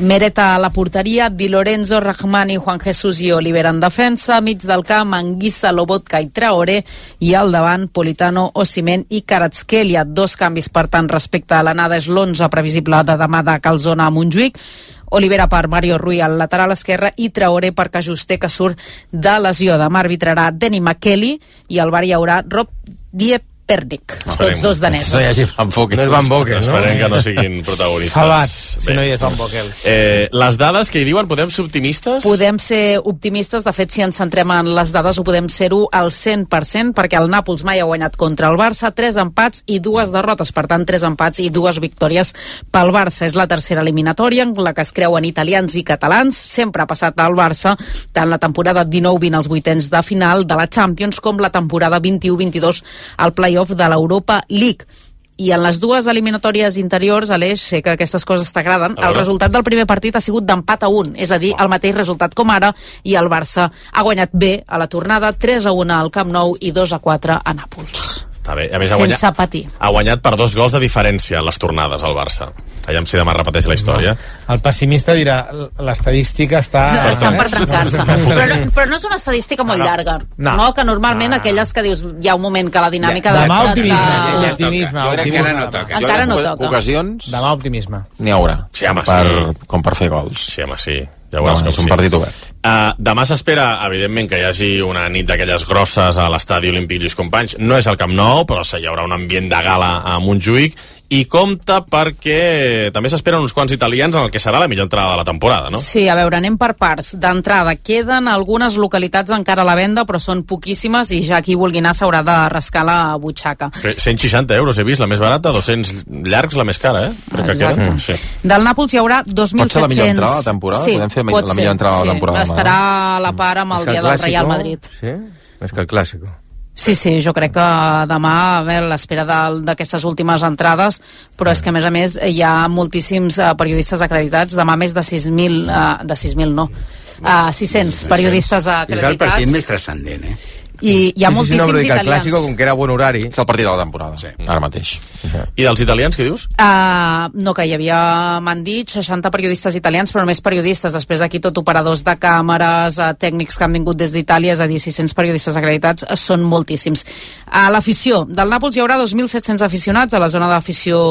Meret a la porteria, Di Lorenzo, Rahmani, Juan Jesús i Oliver en defensa, mig del camp, Anguissa, Lobotka i Traoré, i al davant, Politano, Osimhen i Kvaratskhelia. Dos canvis, per tant, respecte a l'anada, és l'onze previsible de demà de Calzona a Montjuïc. Olivera per Mario Rui al lateral esquerre i Traoré per Cajuster, que surt de lesió. Demà arbitrarà Denny McKelly i al bar hi haurà Rob Diepernik, tots dos danesos. No hi hagi Van Bokel. No és Van Bokel, no? Esperem que no siguin protagonistes. Salvat, si no hi és Van Bokel. Eh, les dades que hi diuen, podem ser optimistes? Podem ser optimistes, de fet, si ens centrem en les dades ho podem ser-ho al cent per cent, perquè el Nàpols mai ha guanyat contra el Barça, tres empats i dues derrotes, per tant, tres empats i dues victòries pel Barça. És la tercera eliminatòria en la que es creuen italians i catalans, sempre ha passat al Barça, tant la temporada dinou vint als vuitens de final de la Champions com la temporada vint-i-u vint-i-dos al play-off de l'Europa League. I en les dues eliminatòries interiors, Aleix, sé que aquestes coses t'agraden, el resultat del primer partit ha sigut d'empat a un, és a dir, el mateix resultat com ara, i el Barça ha guanyat bé a la tornada, tres a un al Camp Nou i dos a quatre a Nàpols. Està bé. A més, ha sense guanyat, patir. Ha guanyat per dos gols de diferència en les tornades al Barça. Aviam si demà repeteix la història. No. El pessimista dirà, l'estadística està... No, estan per trencar-se. Però, no, però no és una estadística molt no, no. llarga. No. no, que normalment no. aquelles que dius, hi ha un moment que la dinàmica... Ja, demà de, optimisme. De, de, optimisme. Jo crec que encara no toca. Encara no toca. Ocasions... Demà optimisme. N'hi haurà. Sí, home, per, sí. Com per fer gols. Sí, home, sí. Ja veuràs no, com és un sí. partit obert. Uh, demà s'espera, evidentment, que hi hagi una nit d'aquelles grosses a l'estadi Olímpic Lluís Companys. No és el Camp Nou, però hi haurà un ambient de gala a Montjuïc. I compta perquè també s'esperen uns quants italians en el que serà la millor entrada de la temporada, no? Sí, a veure, anem per parts. D'entrada, queden algunes localitats encara a la venda, però són poquíssimes i ja qui vulgui anar s'haurà de rascar la butxaca. cent seixanta euros he vist, la més barata, dos-cents llargs, la més cara, eh? Crec que queda. Sí. Del Nàpols hi haurà dos mil set-cents... Pot ser la millor entrada de la temporada? Sí, podem fer pot la millor entrada sí. de la temporada. Estarà a la par amb el dia del Real Madrid. Sí? Més que el Clàssico. Sí, sí, jo crec que demà a veure, l'espera d'aquestes últimes entrades, però és que a més a més hi ha moltíssims uh, periodistes acreditats, demà més de sis mil, uh, de sis mil no, uh, sis-cents periodistes acreditats. És el partit més transcendent, eh? I hi ha sí, moltíssims sí, no, italians. El Clàssico, com que era bon horari... És el partit de la temporada, sí. Ara mateix. Uh-huh. I dels italians, què dius? Uh, no, que hi havia, m'han dit, seixanta periodistes italians, però només periodistes. Després aquí tot operadors de càmeres, uh, tècnics que han vingut des d'Itàlia, és a dir, sis-cents periodistes acreditats, uh, són moltíssims. A l'afició del Nàpols hi haurà dos mil set-cents aficionats a la zona d'afició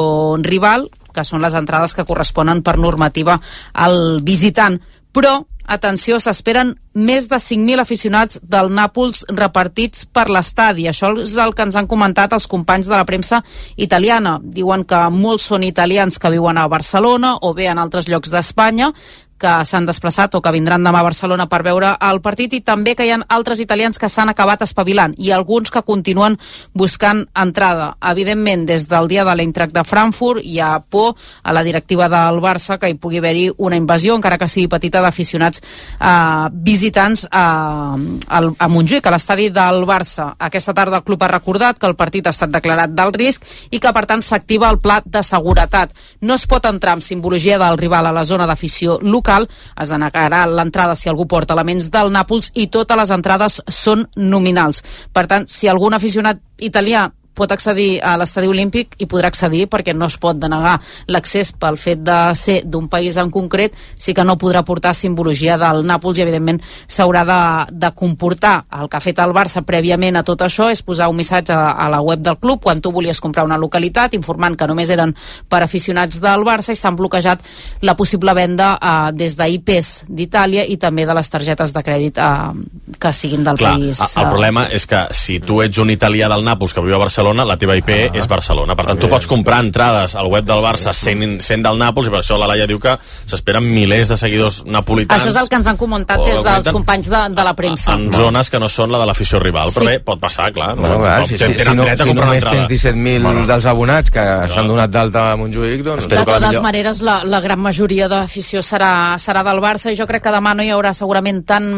rival, que són les entrades que corresponen per normativa al visitant. Però atenció, s'esperen més de cinc mil aficionats del Nàpols repartits per l'estadi. Això és el que ens han comentat els companys de la premsa italiana. Diuen que molts són italians que viuen a Barcelona o bé en altres llocs d'Espanya, que s'han desplaçat o que vindran demà a Barcelona per veure el partit, i també que hi ha altres italians que s'han acabat espavilant i alguns que continuen buscant entrada. Evidentment, des del dia de l'Eintracht de Frankfurt hi ha por a la directiva del Barça que hi pugui haver-hi una invasió, encara que sigui petita, d'aficionats eh, visitants a, a Montjuïc, a l'estadi del Barça. Aquesta tarda el club ha recordat que el partit ha estat declarat d'alt risc i que, per tant, s'activa el pla de seguretat. No es pot entrar amb simbologia del rival a la zona d'afició local, es denegarà l'entrada si algú porta elements del Nàpols i totes les entrades són nominals. Per tant, si algun aficionat italià pot accedir a l'estadi olímpic i podrà accedir perquè no es pot denegar l'accés pel fet de ser d'un país en concret, sí que no podrà portar simbologia del Nàpols i evidentment s'haurà de, de comportar. El que ha fet el Barça prèviament a tot això és posar un missatge a, a la web del club quan tu volies comprar una localitat informant que només eren per aficionats del Barça i s'han bloquejat la possible venda eh, des d'I Pes d'Itàlia i també de les targetes de crèdit eh, que siguin del Clar, país. El eh. problema és que si tu ets un italià del Nàpols que viu a Barcelona, la teva I P ah, és Barcelona. Per tant, tu pots comprar entrades al web del Barça sent, sent del Nàpols i per això la Laia diu que s'esperen milers de seguidors napolitans. Això és el que ens han comentat des dels companys de, de la premsa. En zones que no són la de l'afició rival. Però Sí. bé, pot passar, clar. No? Bueno, clar, si, si, si, no, si només tens disset mil Bueno. dels abonats que s'han donat d'alta a Montjuïc, doncs... De totes maneres, la, la gran majoria d'afició serà, serà del Barça i jo crec que demà no hi haurà segurament tant,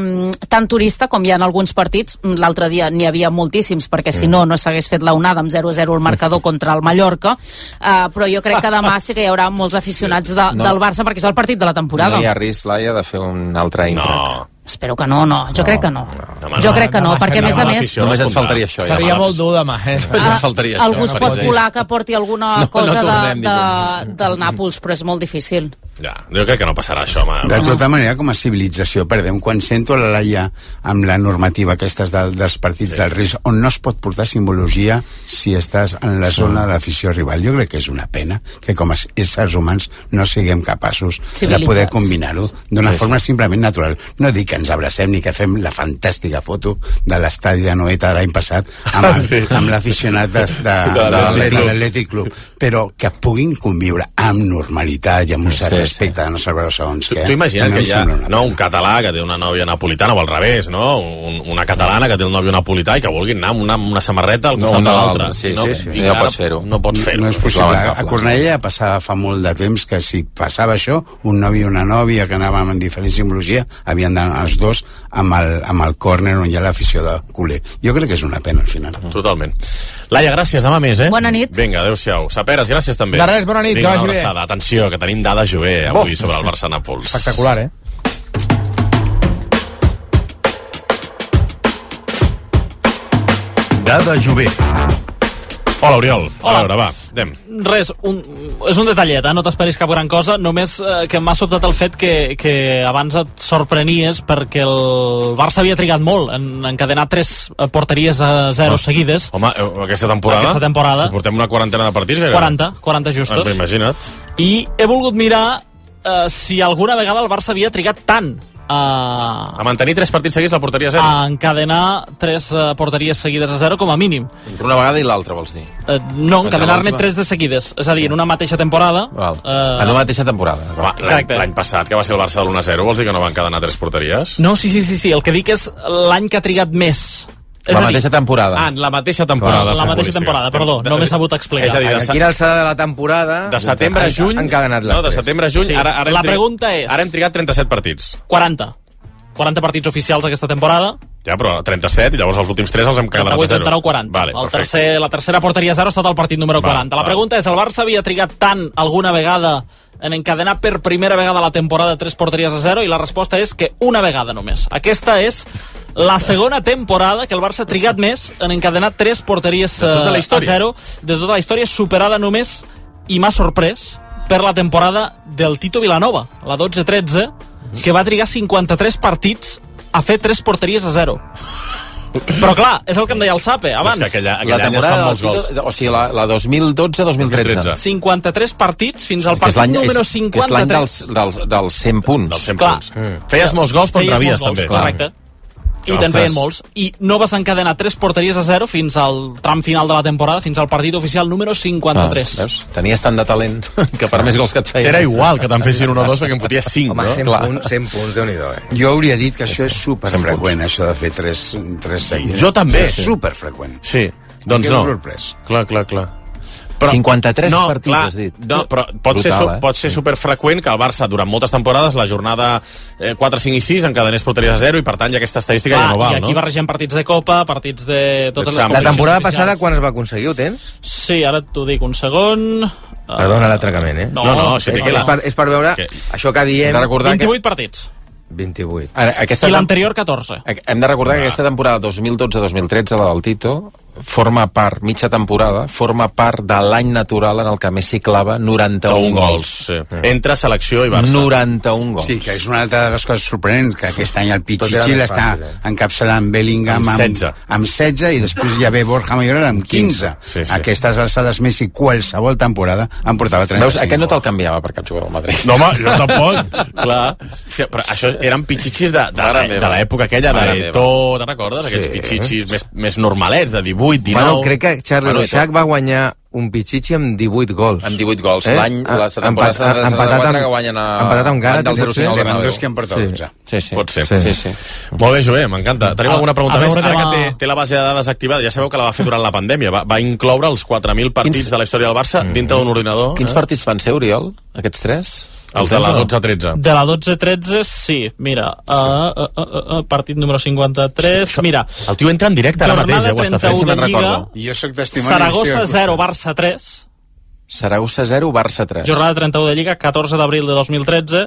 tant turista com hi ha en alguns partits. L'altre dia n'hi havia moltíssims perquè si no, no s'hagués fet la onada amb zero a zero el marcador contra el Mallorca, uh, però jo crec que demà sí que hi haurà molts aficionats de, No. del Barça perquè és el partit de la temporada. No hi ha risc, Laia, de fer un altre intra. No. Espero que no, no, jo No, crec que no. no, jo no, crec que no, no, perquè a més a no, més... Només ens faltaria això. Ja. Seria molt dur demà, eh? Només ens faltaria això. Algú es pot Farid. colar que porti alguna No, no cosa tornem de, de, del Nàpols, però és molt difícil. Ja, jo crec que no passarà això, home. De tota manera, com a civilització, perdem, quan sento la Laia amb la normativa aquestes de, dels partits sí. del risc, on no es pot portar simbologia si estàs en la zona de l'afició rival. Jo crec que és una pena que com a éssers humans no siguem capaços de poder combinar-ho d'una Sí, forma simplement natural. No dic que ens abracem ni que fem la fantàstica foto de l'estadi de Noeta l'any passat amb, el, Sí. amb l'aficionat de, de, de, de, de l'Atlètic Club, però que puguin conviure amb normalitat i amb un cert Sí, respecte de no saber segons Tu, què. tu imagina't no que em hi ha sembla una no, un català que té una nòvia napolitana o al revés, no? Un, una catalana que té el nòvio napolità i que vulguin anar amb una, amb una samarreta al No, costat no, de l'altra. sí, no, sí, sí. I No ara pots fer-ho. No pots fer-ho. No és possible. A Cornellà passava fa molt de temps que si passava això, un nòvio i una nòvia que anaven en diferent simbologia, havien d'anar els dos amb el, amb el córner on hi ha l'afició de culer. Jo crec que és una pena al final. Totalment. Laia, gràcies, demà més, eh? Bona nit. Vinga, adéu-siau. Saperes, gràcies també. De res, bona nit, Vinga, que vagi una bé. abraçada. Atenció, que tenim dada Jové avui Bo. sobre el Barça-Nàpols. Espectacular, eh? Dada Jové. Hola, Oriol. Hola. A veure, va, anem. Res, un, és un detallet, eh? No t'esperis cap gran cosa, només eh, que m'ha sobtat el fet que, que abans et sorprenies perquè el Barça havia trigat molt en encadenar tres eh, porteries a zero Ah. seguides. Home, eh, aquesta temporada... Aquesta temporada. Si portem una quarantena de partits... Gairebé. quaranta, quaranta justos. Ah, imagina't. I he volgut mirar eh, si alguna vegada el Barça havia trigat tant a, A mantenir tres partits seguits la porteria a zero. a encadenar tres eh, porteries seguides a zero com a mínim. Entre una vegada i l'altra, vols dir? Eh, no, Entre encadenar-ne l'última? tres de seguides. És a dir, en una mateixa temporada... Val. Eh, En una mateixa temporada. Home, l'any Exacte. l'any passat, que va ser el Barça de l'u a zero, vols dir que no van encadenar tres porteries? No, sí, sí, sí, sí. El que dic és l'any que ha trigat més. És La a dir, mateixa temporada. Ah, en la mateixa temporada. la mateixa temporada, perdó, no m'he sabut explicar. És a dir, de, Aquí l'alçada de la temporada... de setembre a juny... Han encadenat les no, de tres. setembre a juny... Sí. Ara, ara hem La trigat- pregunta és- Ara hem trigat trenta-set partits. quaranta. quaranta partits oficials aquesta temporada. Ja, però trenta-set, i llavors els últims tres els hem quedat a trenta-vuit, zero. trenta-nou, quaranta. Vale, el perfecte. tercer, la tercera porteria a zero ha estat el partit número Val, quaranta. La val. pregunta és, el Barça havia trigat tant alguna vegada en encadenar per primera vegada a la temporada tres porteries a zero? I la resposta és que una vegada només. Aquesta és la segona temporada que el Barça ha trigat més en encadenar tres porteries De tota la eh, història. a zero de tota la història, superada només, i m'ha sorprès, per la temporada del Tito Vilanova, la dotze tretze, que va trigar cinquanta-tres partits a fer tres porteries a zero. Però clar, és el que em deia el Sape abans. És que aquella, La aquell any es fan temporada molts del gols. Tito, o sigui, la, la dos mil dotze dos mil tretze. cinquanta-tres partits fins al Que és partit l'any número és, que és l'any cinquanta-tres. dels, dels, dels cent punts. Dels cent Clar. punts. Mm. Feies molts gols, però en Feies rebies, molts gols, també. Correcte. I Ostres. te'n feien molts. I no vas encadenar tres porteries a zero fins al tram final de la temporada, fins al partit oficial número cinquanta-tres. Ah, veus? Tenies tant de talent que per més gols que et feien... Era igual que te'n fessin un o dos perquè en foties cinc, Home, no? cent, Clar. punts, cent punts, Déu-n'hi-do, eh? Jo hauria dit que això és superfreqüent, això de fer tres, tres seguides. Jo també. És superfreqüent. Sí, doncs Em quedo no. sorprès. Clar, clar, clar. cinquanta-tres no, partits, clar, has dit. No, però pot, Brutal, ser, su- eh? pot ser superfreqüent que el Barça, durant moltes temporades, la jornada eh, quatre, cinc i sis encadenés porteries a zero i, per tant, ja aquesta estadística Clar, ja no val, I aquí no? barregem partits de Copa, partits de totes les L'examen. La competicions temporada oficials. passada, quan es va aconseguir, ho tens? Sí, ara t'ho dic un segon. Perdona l'atracament, eh? No, No, no, si és, té que és, per, és per veure Que- això que diem... Hem de recordar vint-i-vuit partits. vint-i-vuit. Ara, aquesta I l'anterior, catorze. Hem de recordar que aquesta temporada dos mil dotze dos mil tretze, la del Tito, forma part, mitja temporada, forma part de l'any natural en el que Messi clava noranta-un gols. Sí. Entre selecció i Barça. noranta-un gols. Sí, que és una altra de les coses sorprenents, que aquest any el Tot Pichichi era l'està fàcil, eh? encapçalant Bellingham Amb amb, setze. amb setze i després ja ve Borja Mayoral amb quinze. Sí, sí. Aquestes alçades Messi qualsevol temporada en portava trenta-cinc. Veus, aquest no te'l canviava per cap jugador del Madrid. No, home, jo tampoc. Clar. Sí, però això eren pitxitxis de, de, de, de l'època aquella de Eto'o, te'n recordes? Aquests Sí. pitxitxis més, més normalets, de divuit, dinou... Bueno, crec que Charlie Bueno, Reixac va guanyar un Pichichi amb divuit gols. Amb divuit gols. Eh? L'any, la temporada Empat- setanta-tres empatat amb- que guanyen a... empatat amb Gara, del zero cinc al Bernabéu. Lewandowski en porta dotze. Sí, sí. Pot ser. Sí, sí. sí. Molt bé, Joé, m'encanta. Tenim A- alguna pregunta a més? veure Ara que que la- té, té la base de dades activada, ja sabeu que la va fer durant la pandèmia. Va, va incloure els quatre mil partits Quins- de la història del Barça dintre d'un ordinador. Quins eh? partits van ser, Oriol, aquests tres? Els de la dotze tretze. De la dotze tretze, sí. Mira, uh, uh, uh, uh, partit número cinquanta-tres. Mira, El tio entra en directe ara mateix, eh? Ho està fent, si trenta-u me'n de Lliga, recordo. I jo soc testimoni. Saragossa zero, Barça tres. Saragossa zero, Barça tres. Jornada trenta-u de Lliga, catorze d'abril de dos mil tretze.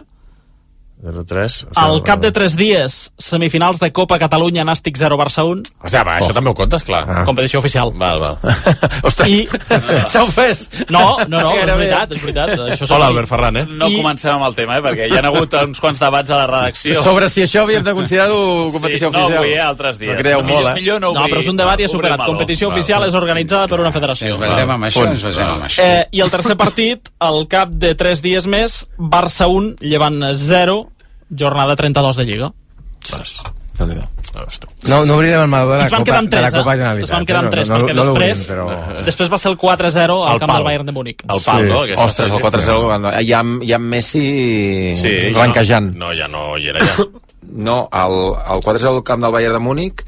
zero tres. Al cap de tres dies, semifinals de Copa Catalunya, Nàstic zero, Barça un. Hòstia, va, això també ho comptes, clar. Ah. Competició oficial. Val, val. Ostres, I... s'ha ofès. No, no, no, és Gairebé. veritat, és veritat. Això Hola, Albert Ferran, eh? No I- comencem amb el tema, eh, perquè hi ha hagut uns quants debats a la redacció. Sobre si això havíem de considerar-ho competició sí, no, oficial. avui, eh, altres dies. No creieu millor, molt, eh? Millor no, No, obrir, però és un debat ja obrir superat. meló. Competició Val, oficial val. és organitzada per una Si federació. ens basem amb això, ens basem amb això. Eh, I el tercer partit, al cap de tres dies més, Barça un, Llevant zero, jornada trenta-dos de Lliga. No, no obrirem el meló de la Es van Copa, quedar en de la tres, Copa eh? Generalitat. Es van quedar en no, tres, no, perquè no, no després, l'obrim, però... després va ser el quatre zero al El camp pal. del Bayern de Múnich. El pal, Sí, no? sí. Aquesta Ostres, el quatre zero, hi ha, hi ha Messi Sí, ja blanquejant. No, no, ja no hi era, ja. No, el, el quatre zero al camp del Bayern de Múnich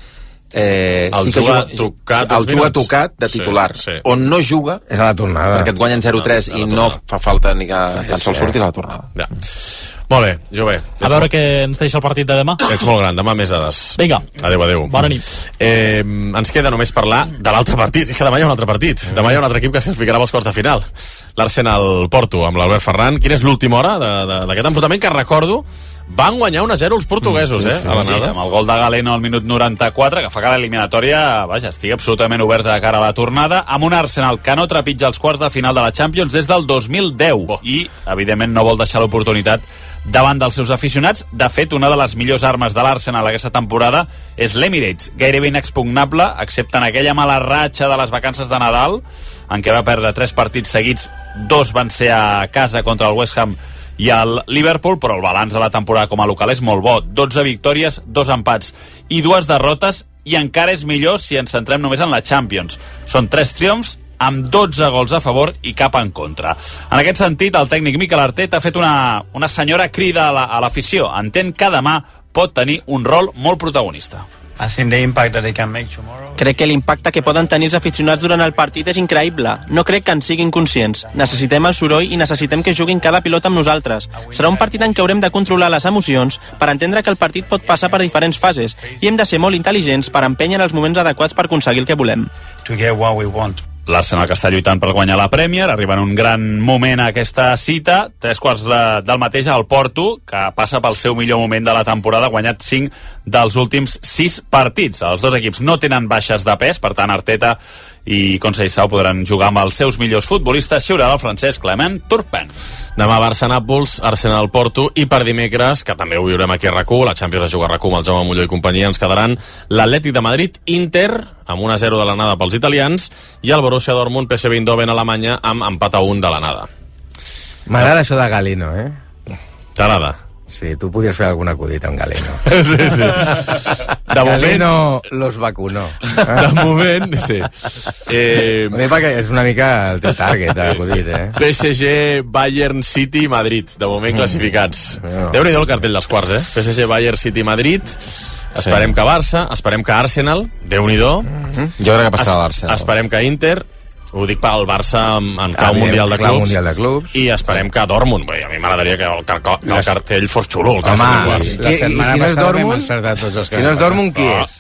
eh, El sí que juga juga, tocat el uns juga minuts. tocat de titular. Sí, sí. On no juga És a la tornada. perquè et guanyen zero tres a la i no tornada. fa falta ni que tan sols surtis a la tornada. Ja. Molt bé, Jové. A veure què ens deixa el partit de demà. Ets molt gran, demà més dades. Vinga. Adéu, adéu. Bona nit. Eh, ens queda només parlar de l'altre partit. És que demà hi ha un altre partit. Demà hi ha un altre equip que se'ns ficarà als quarts de final. L'Arsenal Porto, amb l'Albert Ferran. Quina és l'última hora de- de- d'aquest enfrontament que recordo van guanyar un a zero els portuguesos, eh? A Sí, l'anada. amb el gol de Galeno al minut noranta-quatre, que fa que l'eliminatòria, vaja, estigui absolutament oberta de cara a la tornada, amb un Arsenal que no trepitja els quarts de final de la Champions des del dos mil deu i, evidentment, no vol deixar l'oportunitat davant dels seus aficionats. De fet, una de les millors armes de l'Arsenal aquesta temporada és l'Emirates, gairebé inexpugnable, excepte en aquella mala ratxa de les vacances de Nadal, en què va perdre tres partits seguits, dos van ser a casa contra el West Ham i el Liverpool, però el balanç de la temporada com a local és molt bo. dotze victòries, dos empats i dues derrotes, i encara és millor si ens centrem només en la Champions. Són tres triomfs amb dotze gols a favor i cap en contra. En aquest sentit, el tècnic Mikel Arteta ha fet una, una senyora crida a la- a l'afició. Entén que demà pot tenir un rol molt protagonista. Crec que l'impacte que poden tenir els aficionats durant el partit és increïble. No crec que en siguin conscients. Necessitem el soroll i necessitem que juguin cada pilot amb nosaltres. Serà un partit en què haurem de controlar les emocions per entendre que el partit pot passar per diferents fases i hem de ser molt intel·ligents per empènyer els moments adequats per aconseguir el que volem. L'Arsenal que està lluitant per guanyar la Premier, arriba en un gran moment a aquesta cita, tres quarts de, del mateix al Porto, que passa pel seu millor moment de la temporada, ha guanyat cinc dels últims sis partits. Els dos equips no tenen baixes de pes, per tant Arteta i Conceição podran jugar amb els seus millors futbolistes. Xiurà del francès Clement Turpin. Demà Barça-Nàpols, Arsenal-Porto, i per dimecres, que també ho viurem aquí a RAC u, la Champions es juga a RAC u amb el Jaume Molló i companyia, ens quedaran l'Atlètic de Madrid-Inter, amb un a zero de l'anada pels italians, i el Borussia Dortmund-P S V Eindhoven a Alemanya, amb empat a un de l'anada. M'agrada això de Galeno, eh? T'agrada? Sí, tu podies fer algun acudit amb Galeno. Sí, sí. De Galeno los vacunó. De moment, sí. Eh, Bé, perquè és una mica el teu target, l'acudit, eh? P S G, Bayern, City i Madrid, de moment classificats. Mm. Déu-n'hi-do el cartell dels quarts, eh? P S G, Bayern, City, Madrid. Esperem que Barça, esperem que Arsenal, Déu-n'hi-do. Jo crec que passarà l'Arsenal. Esperem que Inter, ho dic pel Barça en, en clau Evident, mundial de clau clubs, mundial de clubs. i esperem que Dortmund. Bé, a mi m'agradaria que el, car que el cartell fos xulo. El Home, cartell. i- La i setmana si no és passada vam Dortmund? encertar tots els que Si no és vam passar. Dortmund, qui Ah. és?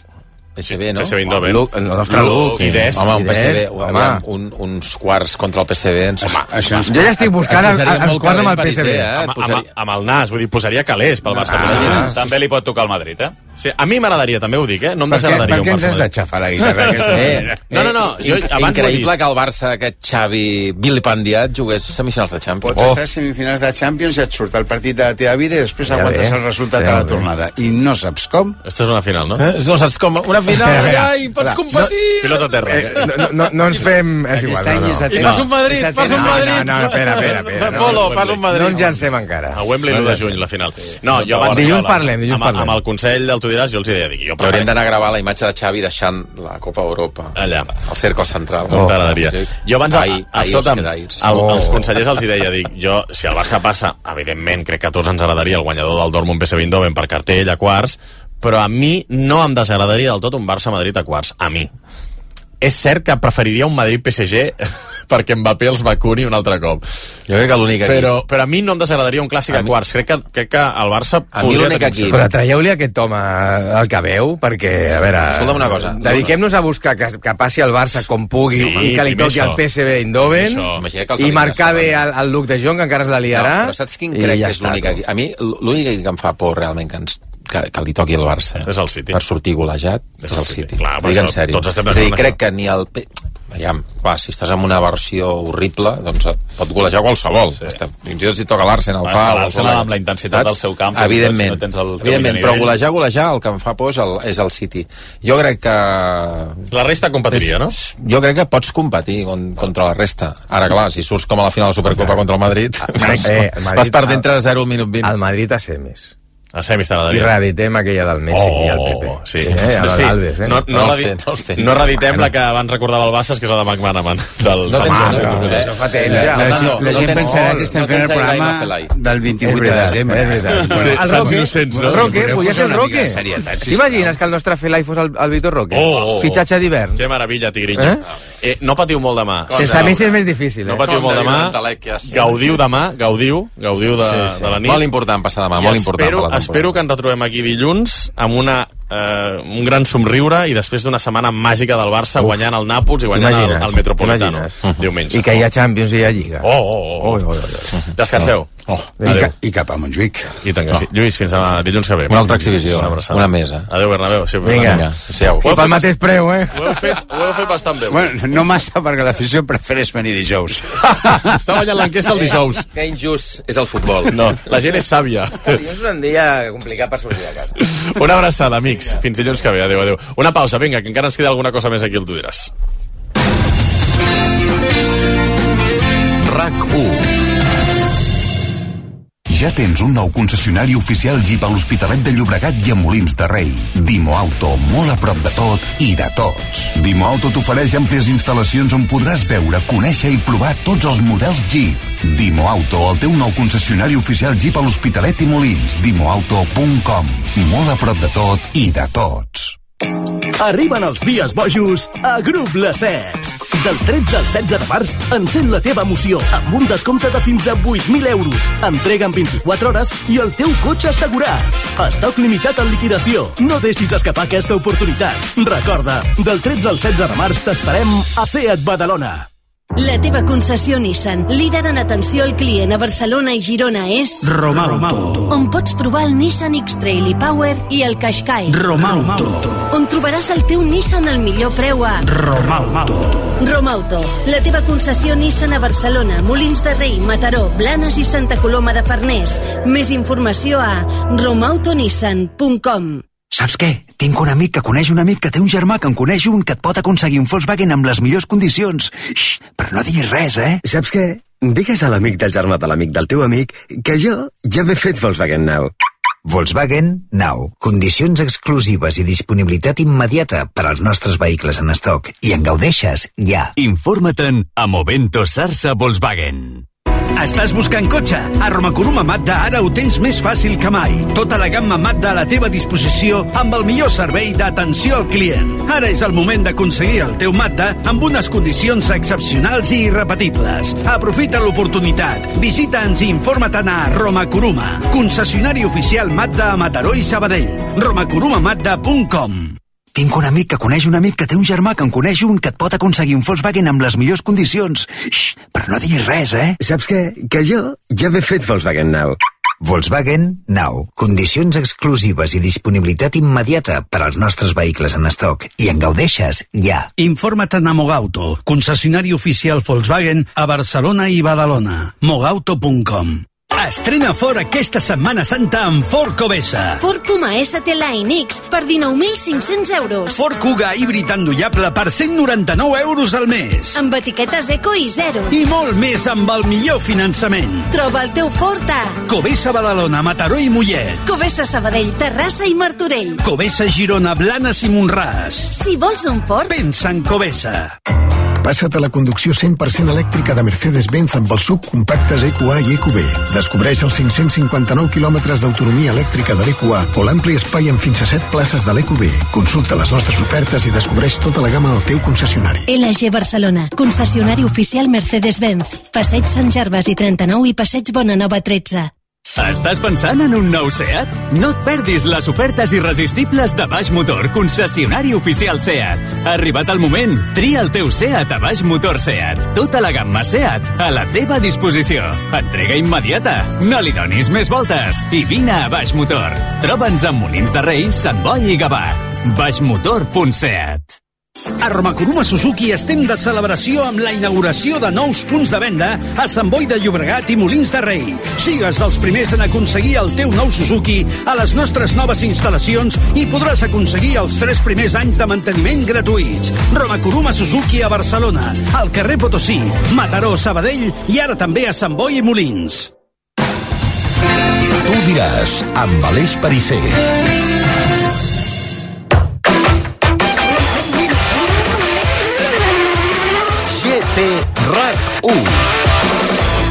P S V, no? P S V Eindhoven. Luc, el nostre Luc. I Dest. Home, un P S V, Home. aviam, un, uns quarts contra el P S V. Ens... Home, això és... Jo ja estic buscant el, el, el quart amb el P S V. Eh? Amb, amb, amb el nas, vull dir, posaria calés pel Barça. Ah, P S V. ja. També li pot tocar el Madrid, eh? Sí, a mi m'agradaria, també ho dic, eh? No em Per què, desagradaria per què un ens Barça has Madrid. de xafar la guitarra aquesta? Eh, No, no, no, jo inc- abans ho he increïble dit. que el Barça, aquest Xavi vilipendiat, jugués semifinals de Champions. Pots estar a semifinals de Champions i et surt el partit de la teva vida i després Ja aguantes ve. el resultat Ja a la ve. tornada. I no saps com. Aquesta és una final, no? Eh? No saps com? Una final, Espera, espera. ai, pots Espera. competir! Pilota a terra. Eh, no, no, no ens fem... És igual, Aquest any no, és no. a I fas un Madrid, és a fas un temps. Madrid. No, no, espera, espera, espera. Fa Polo, fas un Madrid. No ens llancem encara. A Wembley l'u de juny, la final. No, jo abans... Dilluns parlem, dilluns amb, parlem. amb el Consell del Tu diràs, jo els hi deia, dic, jo Hauríem d'anar a gravar la imatge de Xavi deixant la Copa Europa. Allà. Al cercle central. Com t'agradaria. Jo abans, Ahir, ahir escolta'm, us quedais. el, Oh. els consellers els hi deia, dic, jo, si el Barça passa, evidentment, crec que a tots ens agradaria el guanyador del Dortmund P S V Eindhoven per cartell a quarts, però a mi no em desagradaria del tot un Barça-Madrid a quarts. A mi. És cert que preferiria un Madrid-P S G perquè Mbappé els vacuni un altre cop. Jo crec que l'únic equip... Però, però a mi no em desagradaria un clàssic a, a quarts. Crec que, crec que el Barça A mi podria l'únic tenir equip- opcions. Però traieu-li aquest home al que veu, perquè, a veure... Escolta'm una cosa. Dediquem-nos a buscar que, que passi el Barça com pugui Sí, i que li primer toqui això. el P S V Eindhoven Això. Imagina que els i elimines marcar bé davant. el, el Luc de Jong, que encara es la liarà. No, però saps quin i crec ja que és està, l'únic tu. equip? A mi l'únic equip que em fa por realment que, ens, que, que li toqui el Barça És el City. per sortir golejat És és el el City. City. Clar, Ho dic per en això sèrio. tots estem És a dir, d'acord amb crec que ni el... P- Aviam, clar, si estàs en una versió horrible, doncs et pot golejar qualsevol. Sí. Fins i tot si toca l'Arsenal. Clar, és que l'Arsenal amb la intensitat del seu camp, fins i tot Evidentment, si no tens el teu evidentment millor però nivell. golejar, golejar, el que em fa por és el, és el City. Jo crec que... La resta competiria, no? Jo crec que pots competir con, contra la resta. Ara, clar, si surts com a la final de la Supercopa contra el Madrid, Eh, vas, el Madrid- vas perdent entre zero al minut vint. El Madrid a semis. A semis I t'agradaria. reeditem aquella del Messi i el Pepe. Sí, eh, amb sí. l'Alves, eh? No, no, No els redi- té, no els té. no reeditem la que abans recordava el Bassas, que és la de McManaman. Del No tens Samar. una, No, eh? Això fa temps, La, ja. la, no, gent- no, la no gent tens pensarà molt, que estem no fent el tens programa Ibai Mafelai. del vint-i-vuit És de veritat, desembre. és veritat. Sí, El Sants Roque, innocents, no? Roque, Podeu podria posar ser el una Roque. mica de serietat, sisplau. T'imagines que el nostre Felai fos el, el Vitor Roque? Oh, oh, oh. Fitxatge d'hivern. Que meravella, Tigrinho. Eh? Eh, no patiu molt demà. Sense Messi és més difícil, No eh? patiu molt demà. Gaudiu demà, gaudiu, gaudiu de, Sí, sí. de la nit. Molt important passar demà, I molt important espero, per la temporada. espero que ens retrobem aquí dilluns amb una, eh, un gran somriure i després d'una setmana màgica del Barça Uf. guanyant el Nàpols i guanyant el, T'imagines? el Metropolitano T'imagines? diumenge. I que hi ha Champions i hi ha Lliga. Oh, oh, oh. Oi, oi, oi. Descanseu. Oh. I, Adéu. ca, I cap a Montjuïc. I tant que sí. Lluís, fins a dilluns que ve. Una altra exhibició, Una abraçada. una mesa. Adéu, Bernabéu. Sí, Vinga. Vinga. Siau. I pel mateix preu, eh? Ho heu fet, ho heu fet bastant bé. Bueno, no massa, perquè l'afició prefereix venir dijous. Està ballant l'enquesta el dijous. Que injust és el futbol. No, la gent és sàvia. Dilluns és un dia complicat per sortir de casa. Una abraçada, amics. Fins dilluns que ve. Adéu, adéu. Una pausa, vinga, que encara ens queda alguna cosa més aquí, el tu diràs. RAC u. Ja tens un nou concessionari oficial Jeep a l'Hospitalet de Llobregat i a Molins de Rei. Dimo Auto, molt a prop de tot i de tots. Dimo Auto t'ofereix àmplies instal·lacions on podràs veure, conèixer i provar tots els models Jeep. Dimo Auto, el teu nou concessionari oficial Jeep a l'Hospitalet i Molins. dimo auto punt com. Molt a prop de tot i de tots. Arriben els dies bojos a Grup Les Sets. Del tretze al setze de març, encén la teva emoció amb un descompte de fins a vuit mil euros. Entrega en vint-i-quatre hores i el teu cotxe assegurat. Estoc limitat en liquidació. No deixis escapar aquesta oportunitat. Recorda, del tretze al setze de març t'esperem a Seat Badalona. La teva concessió Nissan, líder en atenció al client a Barcelona i Girona, és... Romauto. On pots provar el Nissan X-Trail i Power i el Qashqai. Romauto. On trobaràs el teu Nissan al millor preu a... Romauto. Romauto, la teva concessió Nissan a Barcelona, Molins de Rei, Mataró, Blanes i Santa Coloma de Farners. Més informació a romautonissan punt com. Saps què? Tinc un amic que coneix un amic que té un germà que en coneix un que et pot aconseguir un Volkswagen amb les millors condicions. Xxt, però no diguis res, eh? Saps què? Digues a l'amic del germà de l'amic del teu amic que jo ja m'he fet Volkswagen Now. Volkswagen Now. Condicions exclusives i disponibilitat immediata per als nostres vehicles en estoc. I en gaudeixes ja. Informa't-en a Movento Sarsa Volkswagen. Estàs buscant cotxe? A Romacoruma Mazda ara ho tens més fàcil que mai. Tota la gamma Mazda a la teva disposició amb el millor servei d'atenció al client. Ara és el moment d'aconseguir el teu Mazda amb unes condicions excepcionals i irrepetibles. Aprofita l'oportunitat. Visita'ns i informa-te'n a Romacoruma, concessionari oficial Mazda a Mataró i Sabadell. romacoruma mazda punt com. tinc un amic que coneix un amic que té un germà que en coneix un que et pot aconseguir un Volkswagen amb les millors condicions. Xxt, però no diguis res, eh? Saps què? Que jo ja m'he fet Volkswagen Now. Volkswagen Now. Condicions exclusives i disponibilitat immediata per als nostres vehicles en estoc. I en gaudeixes ja. Informa't a Mogauto, concessionari oficial Volkswagen a Barcelona i Badalona. mogauto punt com. Estrena Ford aquesta Setmana Santa amb Ford Covesa. Ford Puma S T Line X per dinou mil cinc-cents euros. Ford Kuga híbrid endollable per cent noranta-nou euros al mes. Amb etiquetes eco i zero. I molt més amb el millor finançament. Troba el teu Ford a Covesa Badalona, Mataró i Mollet. Covesa Sabadell, Terrassa i Martorell. Covesa Girona, Blanes i Montràs. Si vols un Ford, pensa en Covesa. Passa't a la conducció cent per cent elèctrica de Mercedes-Benz amb els subcompactes E Q A i E Q B. Descobreix els cinc-cents cinquanta-nou quilòmetres d'autonomia elèctrica de l'E Q A o l'ampli espai amb fins a set places de l'E Q B. Consulta les nostres ofertes i descobreix tota la gamma al teu concessionari. L G Barcelona, concessionari oficial Mercedes-Benz. Passeig Sant Gervasi trenta-nou i Passeig Bonanova tretze. Estàs pensant en un nou SEAT? No et perdis les ofertes irresistibles de Baix Motor, concessionari oficial SEAT. Ha arribat el moment. Tria el teu SEAT a Baix Motor SEAT. Tota la gamma SEAT a la teva disposició. Entrega immediata. No li donis més voltes. I vine a Baix Motor. Troba'ns a Molins de Rei, Sant Boi i Gavà. baixmotor punt set. A Romacoruma Suzuki estem de celebració amb la inauguració de nous punts de venda a Sant Boi de Llobregat i Molins de Rei. Sigues dels primers en aconseguir el teu nou Suzuki a les nostres noves instal·lacions i podràs aconseguir els tres primers anys de manteniment gratuïts. Romacoruma Suzuki a Barcelona, al carrer Potosí, Mataró, Sabadell i ara també a Sant Boi i Molins. Tu diràs, amb Aleix Parisser. RAC u.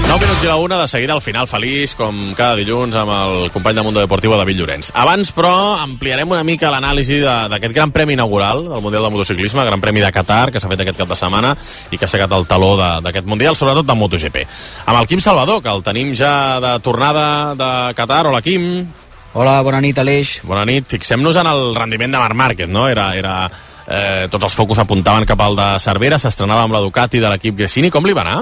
nou minuts i la una, de seguida al final feliç, com cada dilluns, amb el company de Mundo Deportivo, David Llorenç. Abans, però, ampliarem una mica l'anàlisi d'aquest gran premi inaugural del Mundial de Motociclisme, Gran Premi de Qatar, que s'ha fet aquest cap de setmana i que ha segat el taló d'aquest Mundial, sobretot de MotoGP. Amb el Quim Salvador, que el tenim ja de tornada de Qatar. Hola, Quim. Hola, bona nit, Aleix. Bona nit. Fixem-nos en el rendiment de Marc Márquez, no? Era... era Eh, tots els focus apuntaven cap al de Cervera, s'estrenava amb la Ducati de l'equip Gresini. Com li va anar?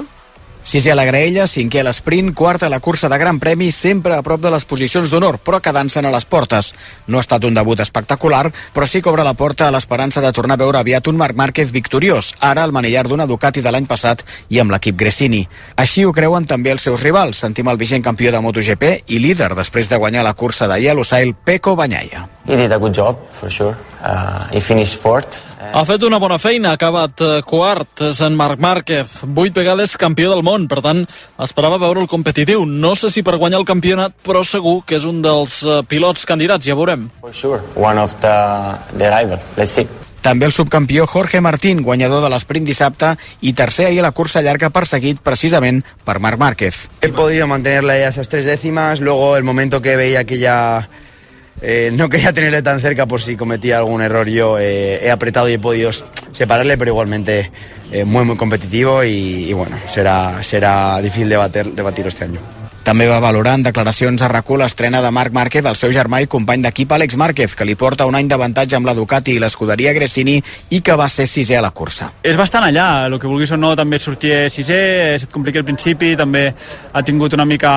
Sisè a la graella, cinquè a l'esprint, quart a la cursa de Gran Premi, sempre a prop de les posicions d'honor, però quedant-se'n a les portes. No ha estat un debut espectacular, però sí que obre la porta a l'esperança de tornar a veure aviat un Marc Márquez victoriós, ara al manillar d'una Ducati de l'any passat i amb l'equip Gresini. Així ho creuen també els seus rivals. Sentim el vigent campió de MotoGP i líder després de guanyar la cursa de Yellow Sail, Pecco Bagnaia. He did a good job, for sure. Uh, he finished fourth. Ha fet una bona feina, ha acabat quart, és en Marc Márquez, vuit vegades campió del món, per tant, esperava veure el competitiu. No sé si per guanyar el campionat, però segur que és un dels pilots candidats, ja veurem. For sure, one of the, the rival. Let's see. També el subcampió Jorge Martín, guanyador de l'esprint dissabte i tercer ahir a la cursa llarga, perseguit precisament per Marc Márquez. He podido mantenerla a esas tres décimas, luego el momento que veía que ya... Eh, no quería tenerle tan cerca por si cometía algún error yo, eh, he apretado y he podido separarle, pero igualmente eh, muy muy competitivo y, y bueno, será, será difícil debatir, debatir este año. També va valorar en declaracions a RAC u l'estrena de Marc Márquez, el seu germà i company d'equip Àlex Márquez, que li porta un any d'avantatge amb la Ducati i l'escuderia Gresini i que va ser sisè a la cursa. És bastant allà, el que vulguis o no, també sortir sisè, se't complica al principi, també ha tingut una mica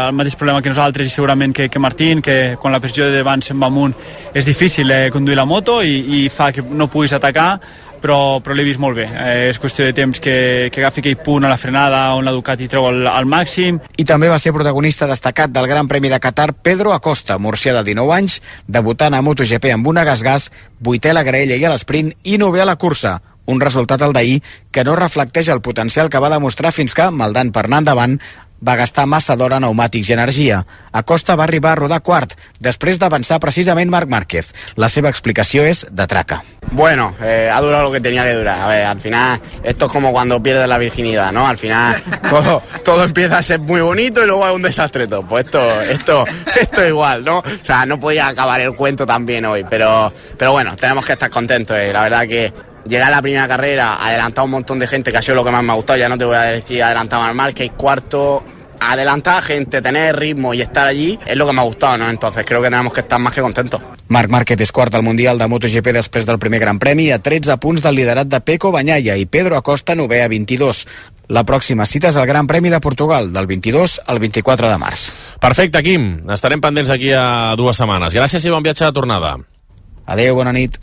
el mateix problema que nosaltres i segurament que, que Martín, que quan la pressió de davant se'n va amunt és difícil eh, conduir la moto i, i fa que no puguis atacar, però, però l'he vist molt bé. Eh, és qüestió de temps que, que agafi aquell punt a la frenada on la Ducati treu al, al màxim. I també va ser protagonista destacat del Gran Premi de Qatar Pedro Acosta, murcià de dinou anys, debutant a MotoGP amb una gas-gas, vuitè a la graella i a l'esprint i novè a la cursa. Un resultat el d'ahir que no reflecteix el potencial que va demostrar fins que, maldant per anar endavant, va gastar massa d'hora pneumàtics i energia. Acosta va arribar a rodar quart, després d'avançar precisament Marc Márquez. La seva explicació és de traca. Bueno, eh, ha durado lo que tenía que durar. A ver, al final, esto es como cuando pierdes la virginidad, ¿no? Al final, todo, todo empieza a ser muy bonito y luego es un desastre todo. Pues esto, esto, esto es igual, ¿no? O sea, no podía acabar el cuento tan bien hoy, pero, pero bueno, tenemos que estar contentos. Eh. La verdad que llegar a la primera carrera, adelantar un montón de gente, que ha sido lo que más me ha gustado, ya no te voy a decir adelantar a Marc Márquez, cuarto, adelantar a gente, tener ritmo y estar allí es lo que me ha gustado, ¿no? Entonces creo que tenemos que estar más que contentos. Marc Márquez és quart al Mundial de MotoGP després del primer Gran Premi a tretze punts del liderat de Pecco Bagnaia i Pedro Acosta novè a vint-i-dos. La pròxima cita és el Gran Premi de Portugal, del vint-i-dos al vint-i-quatre de març. Perfecte, Quim. Estarem pendents aquí a dues setmanes. Gràcies i bon viatge de tornada. Adéu, bona nit.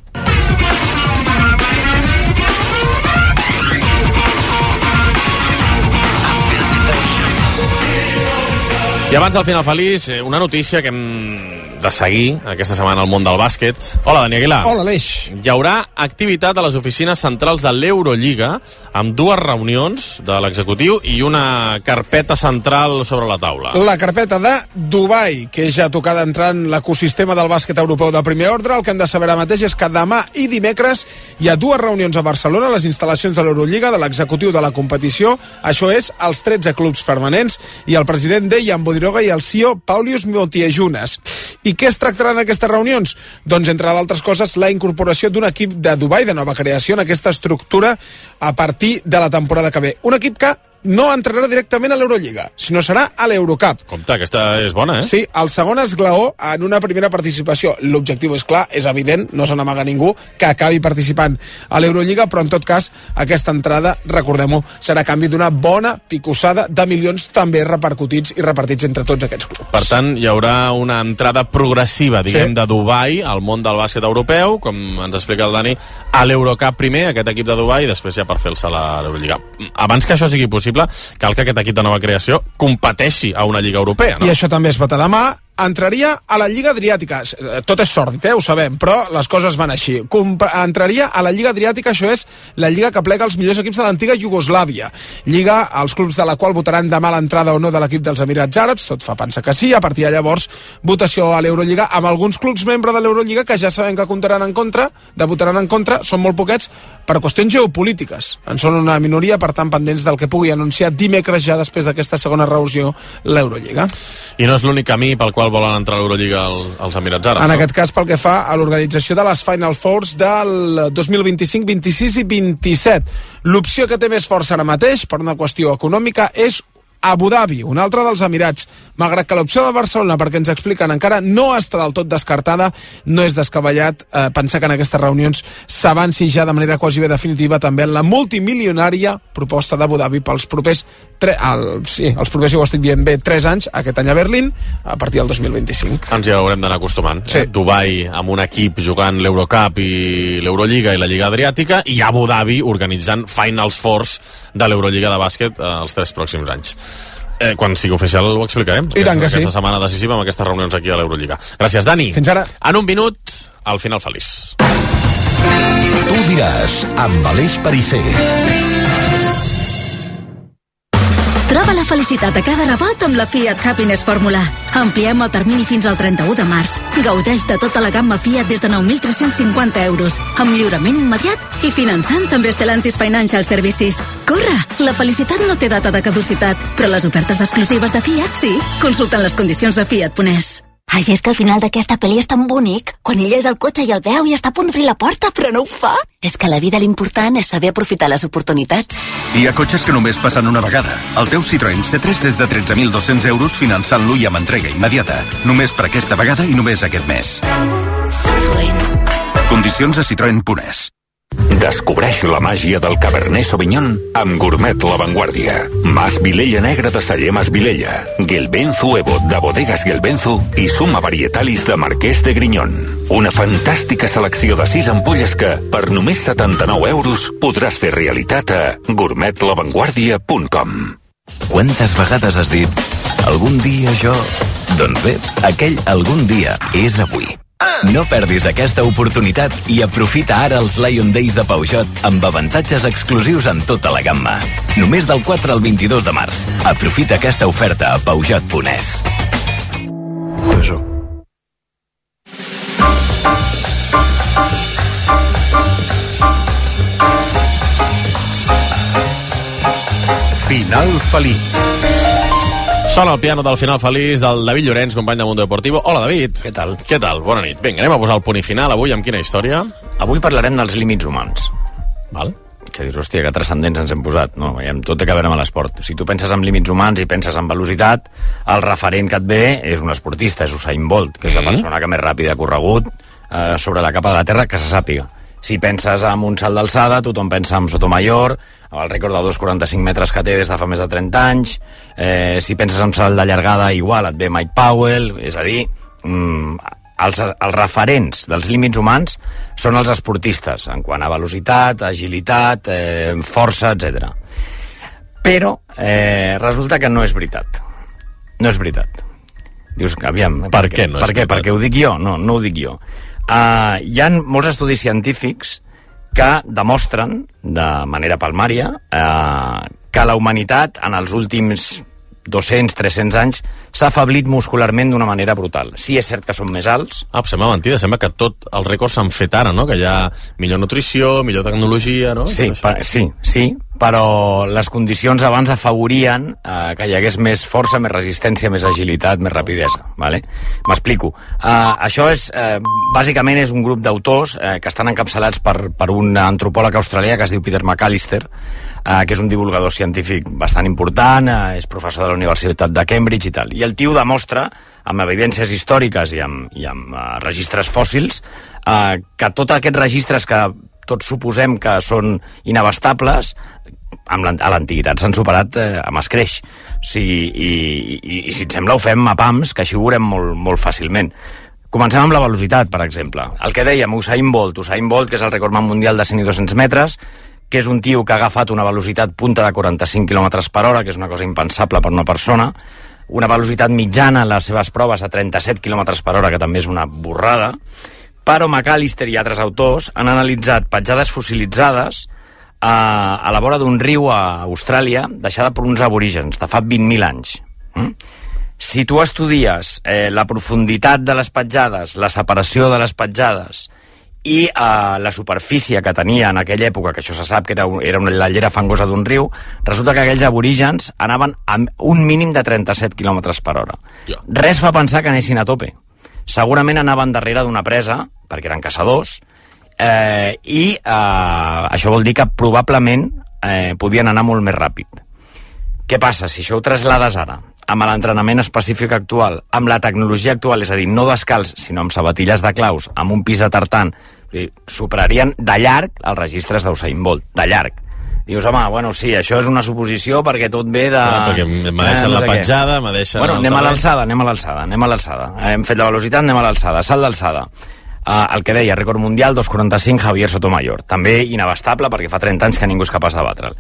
I abans del final feliç, una notícia que hem de seguir aquesta setmana al món del bàsquet. Hola, Dani Aguilar. Hola, Aleix. Hi haurà activitat a les oficines centrals de l'Eurolliga amb dues reunions de l'executiu i una carpeta central sobre la taula. La carpeta de Dubai, que ja ha tocat d'entrar en l'ecosistema del bàsquet europeu de primer ordre. El que hem de saber ara mateix és que demà i dimecres hi ha dues reunions a Barcelona, a les instal·lacions de l'Eurolliga, de l'executiu de la competició. Això és els tretze clubs permanents i el president Dejan Bodiroga i el C E O Paulius Motiejunas. I què es tractarà en aquestes reunions? Doncs, entre d'altres coses, la incorporació d'un equip de Dubai, de nova creació, en aquesta estructura a partir de la temporada que ve. Un equip que no entrarà directament a l'Eurolliga, sinó serà a l'Eurocup. Compte, aquesta és bona, eh? Sí, el segon esglaó en una primera participació. L'objectiu és clar, és evident, no se n'amaga ningú que acabi participant a l'Eurolliga, però en tot cas, aquesta entrada, recordem-ho, serà a canvi d'una bona picossada de milions també repercutits i repartits entre tots aquests clubs. Per tant, hi haurà una entrada progressiva, diguem, Sí. de Dubai al món del bàsquet europeu, com ens explica el Dani, a l'Eurocup primer, aquest equip de Dubai, i després ja per fer-se a l'Eurolliga. Abans que això sigui possible, cal que aquest equip de nova creació competeixi a una lliga europea, no? I això també es vota demà. Entraria a la Lliga Adriàtica. Tot és sòrdid, eh? Ho sabem, però les coses van així. Comp entraria a la Lliga Adriàtica, això és la lliga que plega els millors equips de l'antiga Iugoslàvia. Lliga, els clubs de la qual votaran demà l'entrada o no de l'equip dels Emirats Àrabs, tot fa pensar que sí. A partir de llavors, votació a l'Eurolliga amb alguns clubs membres de l'Eurolliga que ja sabem que comptaran en contra, de votaran en contra, són molt poquets, per qüestions geopolítiques. En són una minoria, per tant, pendents del que pugui anunciar dimecres ja després d'aquesta segona reunió l'Eurolliga. I no és l'únic camí pel qual volen entrar a l'Eurolliga als Emirats Àrabs. En no? aquest cas, pel que fa a l'organització de les Final Fours del dos mil vint-i-cinc, vint-i-sis i vint-i-set. L'opció que té més força ara mateix, per una qüestió econòmica, és Abu Dhabi, un altre dels Emirats. Malgrat que l'opció de Barcelona, perquè ens expliquen, encara no està del tot descartada, no és descabellat eh, pensar que en aquestes reunions s'avanci ja de manera quasi bé definitiva també en la multimilionària proposta d'Abu Dhabi pels propers, tre el, sí, els propers, si ho estic dient bé, tres anys, aquest any a Berlín, a partir del dos mil vint-i-cinc. Ens hi haurem d'anar acostumant. Sí. Eh? Dubai amb un equip jugant l'Eurocup i l'Eurolliga i la Lliga Adriàtica, i Abu Dhabi organitzant Finals Fours de l'Eurolliga de bàsquet eh, els tres pròxims anys. Eh, quan sigui oficial ho explicarem. I tant que aquesta sí. setmana decisiva amb aquestes reunions aquí a l'Eurolliga. Gràcies, Dani. Fins ara. En un minut, al final feliç. Tu diràs, amb Aleix Perisser. Troba la felicitat a cada rebot amb la Fiat Happiness Fórmula. Ampliem el termini fins al trenta-u de març. Gaudeix de tota la gamma Fiat des de nou mil tres-cents cinquanta euros, amb lliurament immediat i finançant també Stellantis Financial Services. Corre! La felicitat no té data de caducitat, però les ofertes exclusives de Fiat sí. Consulten les condicions a fiat punt es. Ai, és que el final d'aquesta pel·li és tan bonic. Quan ell és al cotxe i el veu i està a punt d'obrir la porta, però no ho fa. És que a la vida l'important és saber aprofitar les oportunitats. Hi ha cotxes que només passen una vegada. El teu Citroën C tres des de tretze mil dos-cents euros finançant-lo i amb entrega immediata. Només per aquesta vegada i només aquest mes. Citroën. Condicions a citroen punt es. Descobreix la màgia del Cabernet Sauvignon amb Gourmet La Vanguardia. Mas Vilella Negra de Celler Mas Vilella, Gelbenzu Evo de Bodegas Gelbenzu i Suma Varietalis de Marquès de Grinyón. Una fantàstica selecció de sis ampolles que, per només setanta-nou euros, podràs fer realitat a gourmet la vanguardia punt com. Quantes vegades has dit algun dia jo... Doncs bé, aquell algun dia és avui. No perdis aquesta oportunitat i aprofita ara els Lion Days de Peugeot amb avantatges exclusius en tota la gamma. Només del quatre al vint-i-dos de març. Aprofita aquesta oferta a Peugeot punt es. Peugeot. Final feliç. Sona el piano del final feliç del David Llorenç, company de Mundo Deportivo. Hola, David. Què tal? Què tal? Bona nit. Vinga, anem a posar el punt i final avui amb quina història? Avui parlarem dels límits humans. Val. que dius, hòstia, que transcendents ens hem posat. No, tot té que veure amb l'esport. Si tu penses en límits humans i penses en velocitat, el referent que et ve és un esportista, és Usain Bolt, que és la persona que més ràpida ha corregut eh, sobre la capa de la terra, que se sàpiga. Si penses en un salt d'alçada, tothom pensa en Sotomayor, amb el rècord de dos coma quaranta-cinc metres que té des de fa més de trenta anys. Eh, si penses en salt de llargada, igual, et ve Mike Powell. És a dir, mm, els, els referents dels límits humans són els esportistes, en quant a velocitat, agilitat, eh, força, etcètera. Però eh, resulta que no és veritat. No és veritat. Dius, aviam, per què no és per què? Perquè ho dic jo? No, no ho dic jo. Uh, hi ha molts estudis científics que demostren, de manera palmària, uh, que la humanitat en els últims dos-cents a tres-cents anys s'ha afeblit muscularment d'una manera brutal. Sí, és cert que són més alts. Ah, sembla mentida, sembla que tot els rècords s'han fet ara, no? Que hi ha millor nutrició, millor tecnologia, no? Sí, per, sí, sí, però les condicions abans afavorien eh, que hi hagués més força, més resistència, més agilitat, més rapidesa, vale? M'explico. Uh, això és, uh, bàsicament és un grup d'autors uh, que estan encapçalats per, per un antropòleg australià que es diu Peter McAllister, uh, que és un divulgador científic bastant important, uh, és professor de la Universitat de Cambridge i tal. I el tio demostra, amb evidències històriques i amb, i amb uh, registres fòssils, uh, que tots aquests registres que tots suposem que són inabastables, amb a l'antiguitat s'han superat eh, amb escreix. O sigui, i, i, i si et sembla ho fem a pams, que així ho veurem molt, molt fàcilment. Comencem amb la velocitat, per exemple. El que dèiem, Usain Bolt, Usain Bolt, que és el recordman mundial de cent i dos-cents metres, que és un tio que ha agafat una velocitat punta de quaranta-cinc quilòmetres per hora, que és una cosa impensable per una persona, una velocitat mitjana en les seves proves a trenta-set quilòmetres per hora, que també és una borrada, però McAllister i altres autors han analitzat petjades fossilitzades a, a la vora d'un riu a Austràlia deixada per uns aborígens de fa vint mil anys. Mm? Si tu estudies eh, la profunditat de les petjades, la separació de les petjades i eh, la superfície que tenia en aquella època, que això se sap que era, era una, la llera fangosa d'un riu, resulta que aquells aborígens anaven a un mínim de trenta-set quilòmetres per hora. Res fa pensar que anessin a tope. Segurament anaven darrere d'una presa, perquè eren caçadors, eh, i eh, això vol dir que probablement eh, podien anar molt més ràpid. Què passa? Si això ho traslades ara amb l'entrenament específic actual, amb la tecnologia actual, és a dir, no descalç, sinó amb sabatilles de claus, amb un pis de tartan, superarien de llarg els registres d'Usain Bolt, de llarg. Dius, home, bueno, sí, això és una suposició perquè tot ve de... Ah, perquè me deixen eh, no la petjada, me deixen... Bueno, anem a l'alçada, anem a l'alçada, anem a l'alçada. Hem fet la velocitat, anem a l'alçada, salt d'alçada. Uh, el que deia, rècord mundial, dos coma quaranta-cinc, Javier Sotomayor. També inabastable perquè fa trenta anys que ningú és capaç de batre'l.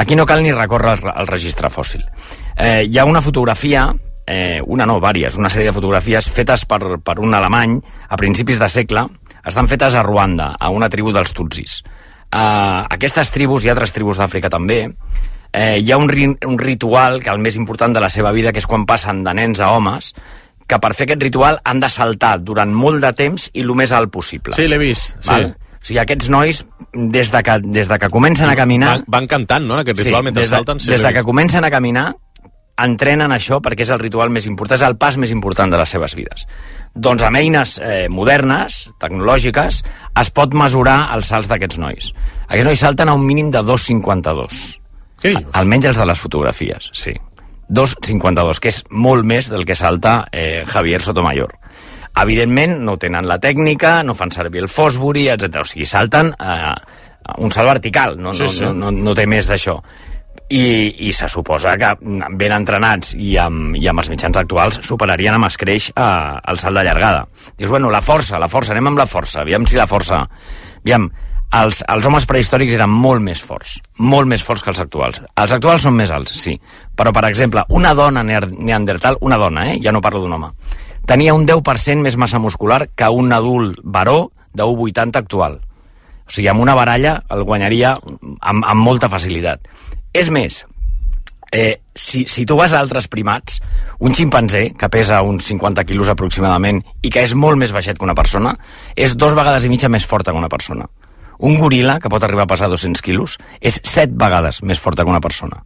Aquí no cal ni recórrer al, al registre fòssil. Eh, hi ha una fotografia, eh, una no, vàries, una sèrie de fotografies fetes per, per un alemany a principis de segle, estan fetes a Ruanda, a una tribu dels Tutsis. Uh, aquestes tribus i altres tribus d'Àfrica també, eh, hi ha un, ri un ritual que el més important de la seva vida, que és quan passen de nens a homes, que per fer aquest ritual han de saltar durant molt de temps i el més alt possible. Sí, l'he vist. Val? Sí. O sigui, aquests nois, des de que, des de que comencen a caminar... Van, van cantant, no?, aquest ritual, sí, mentre des de, salten. Sí, des de que comencen a caminar, entrenen això perquè és el ritual més important, és el pas més important de les seves vides. Doncs amb eines eh, modernes, tecnològiques, es pot mesurar els salts d'aquests nois. Aquests nois salten a un mínim de dos coma cinquanta-dos. Què dius? Almenys els de les fotografies, sí. dos coma cinquanta-dos, que és molt més del que salta eh, Javier Sotomayor. Evidentment, no tenen la tècnica, no fan servir el Fosbury, etcètera. O sigui, salten eh, un salt vertical, no, sí, no, sí. no, no, no té més d'això. I, i se suposa que ben entrenats i amb, i amb els mitjans actuals superarien amb escreix eh, el salt de llargada. Dius, bueno, la força, la força, anem amb la força, aviam si la força... Aviam, els, els homes prehistòrics eren molt més forts, molt més forts que els actuals. Els actuals són més alts, sí, però, per exemple, una dona neandertal, una dona, eh, ja no parlo d'un home, tenia un deu per cent més massa muscular que un adult baró de un coma vuitanta actual. O sigui, amb una baralla el guanyaria amb, amb molta facilitat. És més, eh, si, si tu vas a altres primats, un ximpanzé, que pesa uns cinquanta quilos aproximadament i que és molt més baixet que una persona, és dos vegades i mitja més forta que una persona. Un goril·la, que pot arribar a pesar dos-cents quilos, és set vegades més forta que una persona.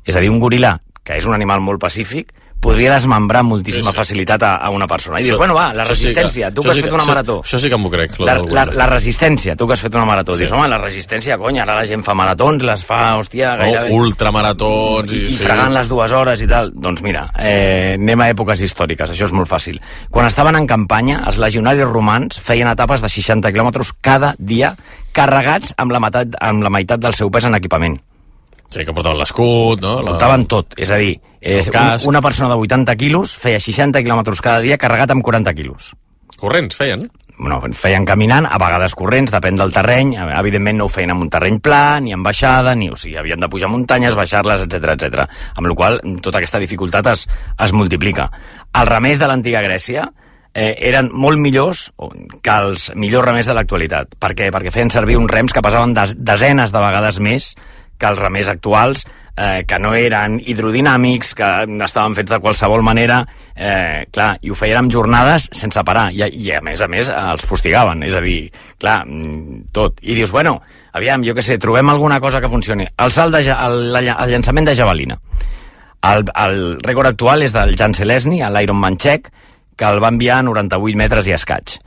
És a dir, un goril·la, que és un animal molt pacífic, podria desmembrar amb moltíssima Sí, sí. facilitat a, a una persona. I dius, Això- bueno, va, la això sí que- resistència, tu això que has sí fet que- una això- marató. això sí que m'ho crec, lo La, del la, Google. la resistència, tu que has fet una marató. Sí. Dius, home, la resistència, cony, ara la gent fa maratons, les fa, hòstia, No, gairebé... ultramaratons I, i, i sí. fregant les dues hores i tal. Doncs mira, eh, anem a èpoques històriques, això és molt fàcil. Quan estaven en campanya, els legionaris romans feien etapes de seixanta quilòmetres cada dia, carregats amb la, meitat, amb la meitat del seu pes en equipament. Sí, que portaven l'escut, no? La... Portaven tot, és a dir, és El un, casc. una persona de vuitanta quilos feia seixanta quilòmetres cada dia carregat amb quaranta quilos. Corrents feien? Bueno, feien caminant, a vegades corrents, depèn del terreny. Evidentment no ho feien en un terreny pla, ni en baixada, ni, o sigui, havien de pujar muntanyes, baixar-les, etcètera, etcètera. Amb la qual cosa, tota aquesta dificultat es, es multiplica. Els remers de l'antiga Grècia eh, eren molt millors que els millors remers de l'actualitat. Per què? Perquè feien servir uns rems que pesaven des, desenes de vegades més que els remers actuals, eh, que no eren hidrodinàmics, que estaven fets de qualsevol manera, eh, clar, i ho feien amb jornades sense parar, i, i a més a més els fustigaven, és a dir, clar, tot. I dius, bueno, aviam, jo què sé, trobem alguna cosa que funcioni. El salt de, ja- el, el llançament de javelina. El, el rècord actual és del Jan Selesny, l'Ironman txec, que el va enviar a noranta-vuit metres i escaig.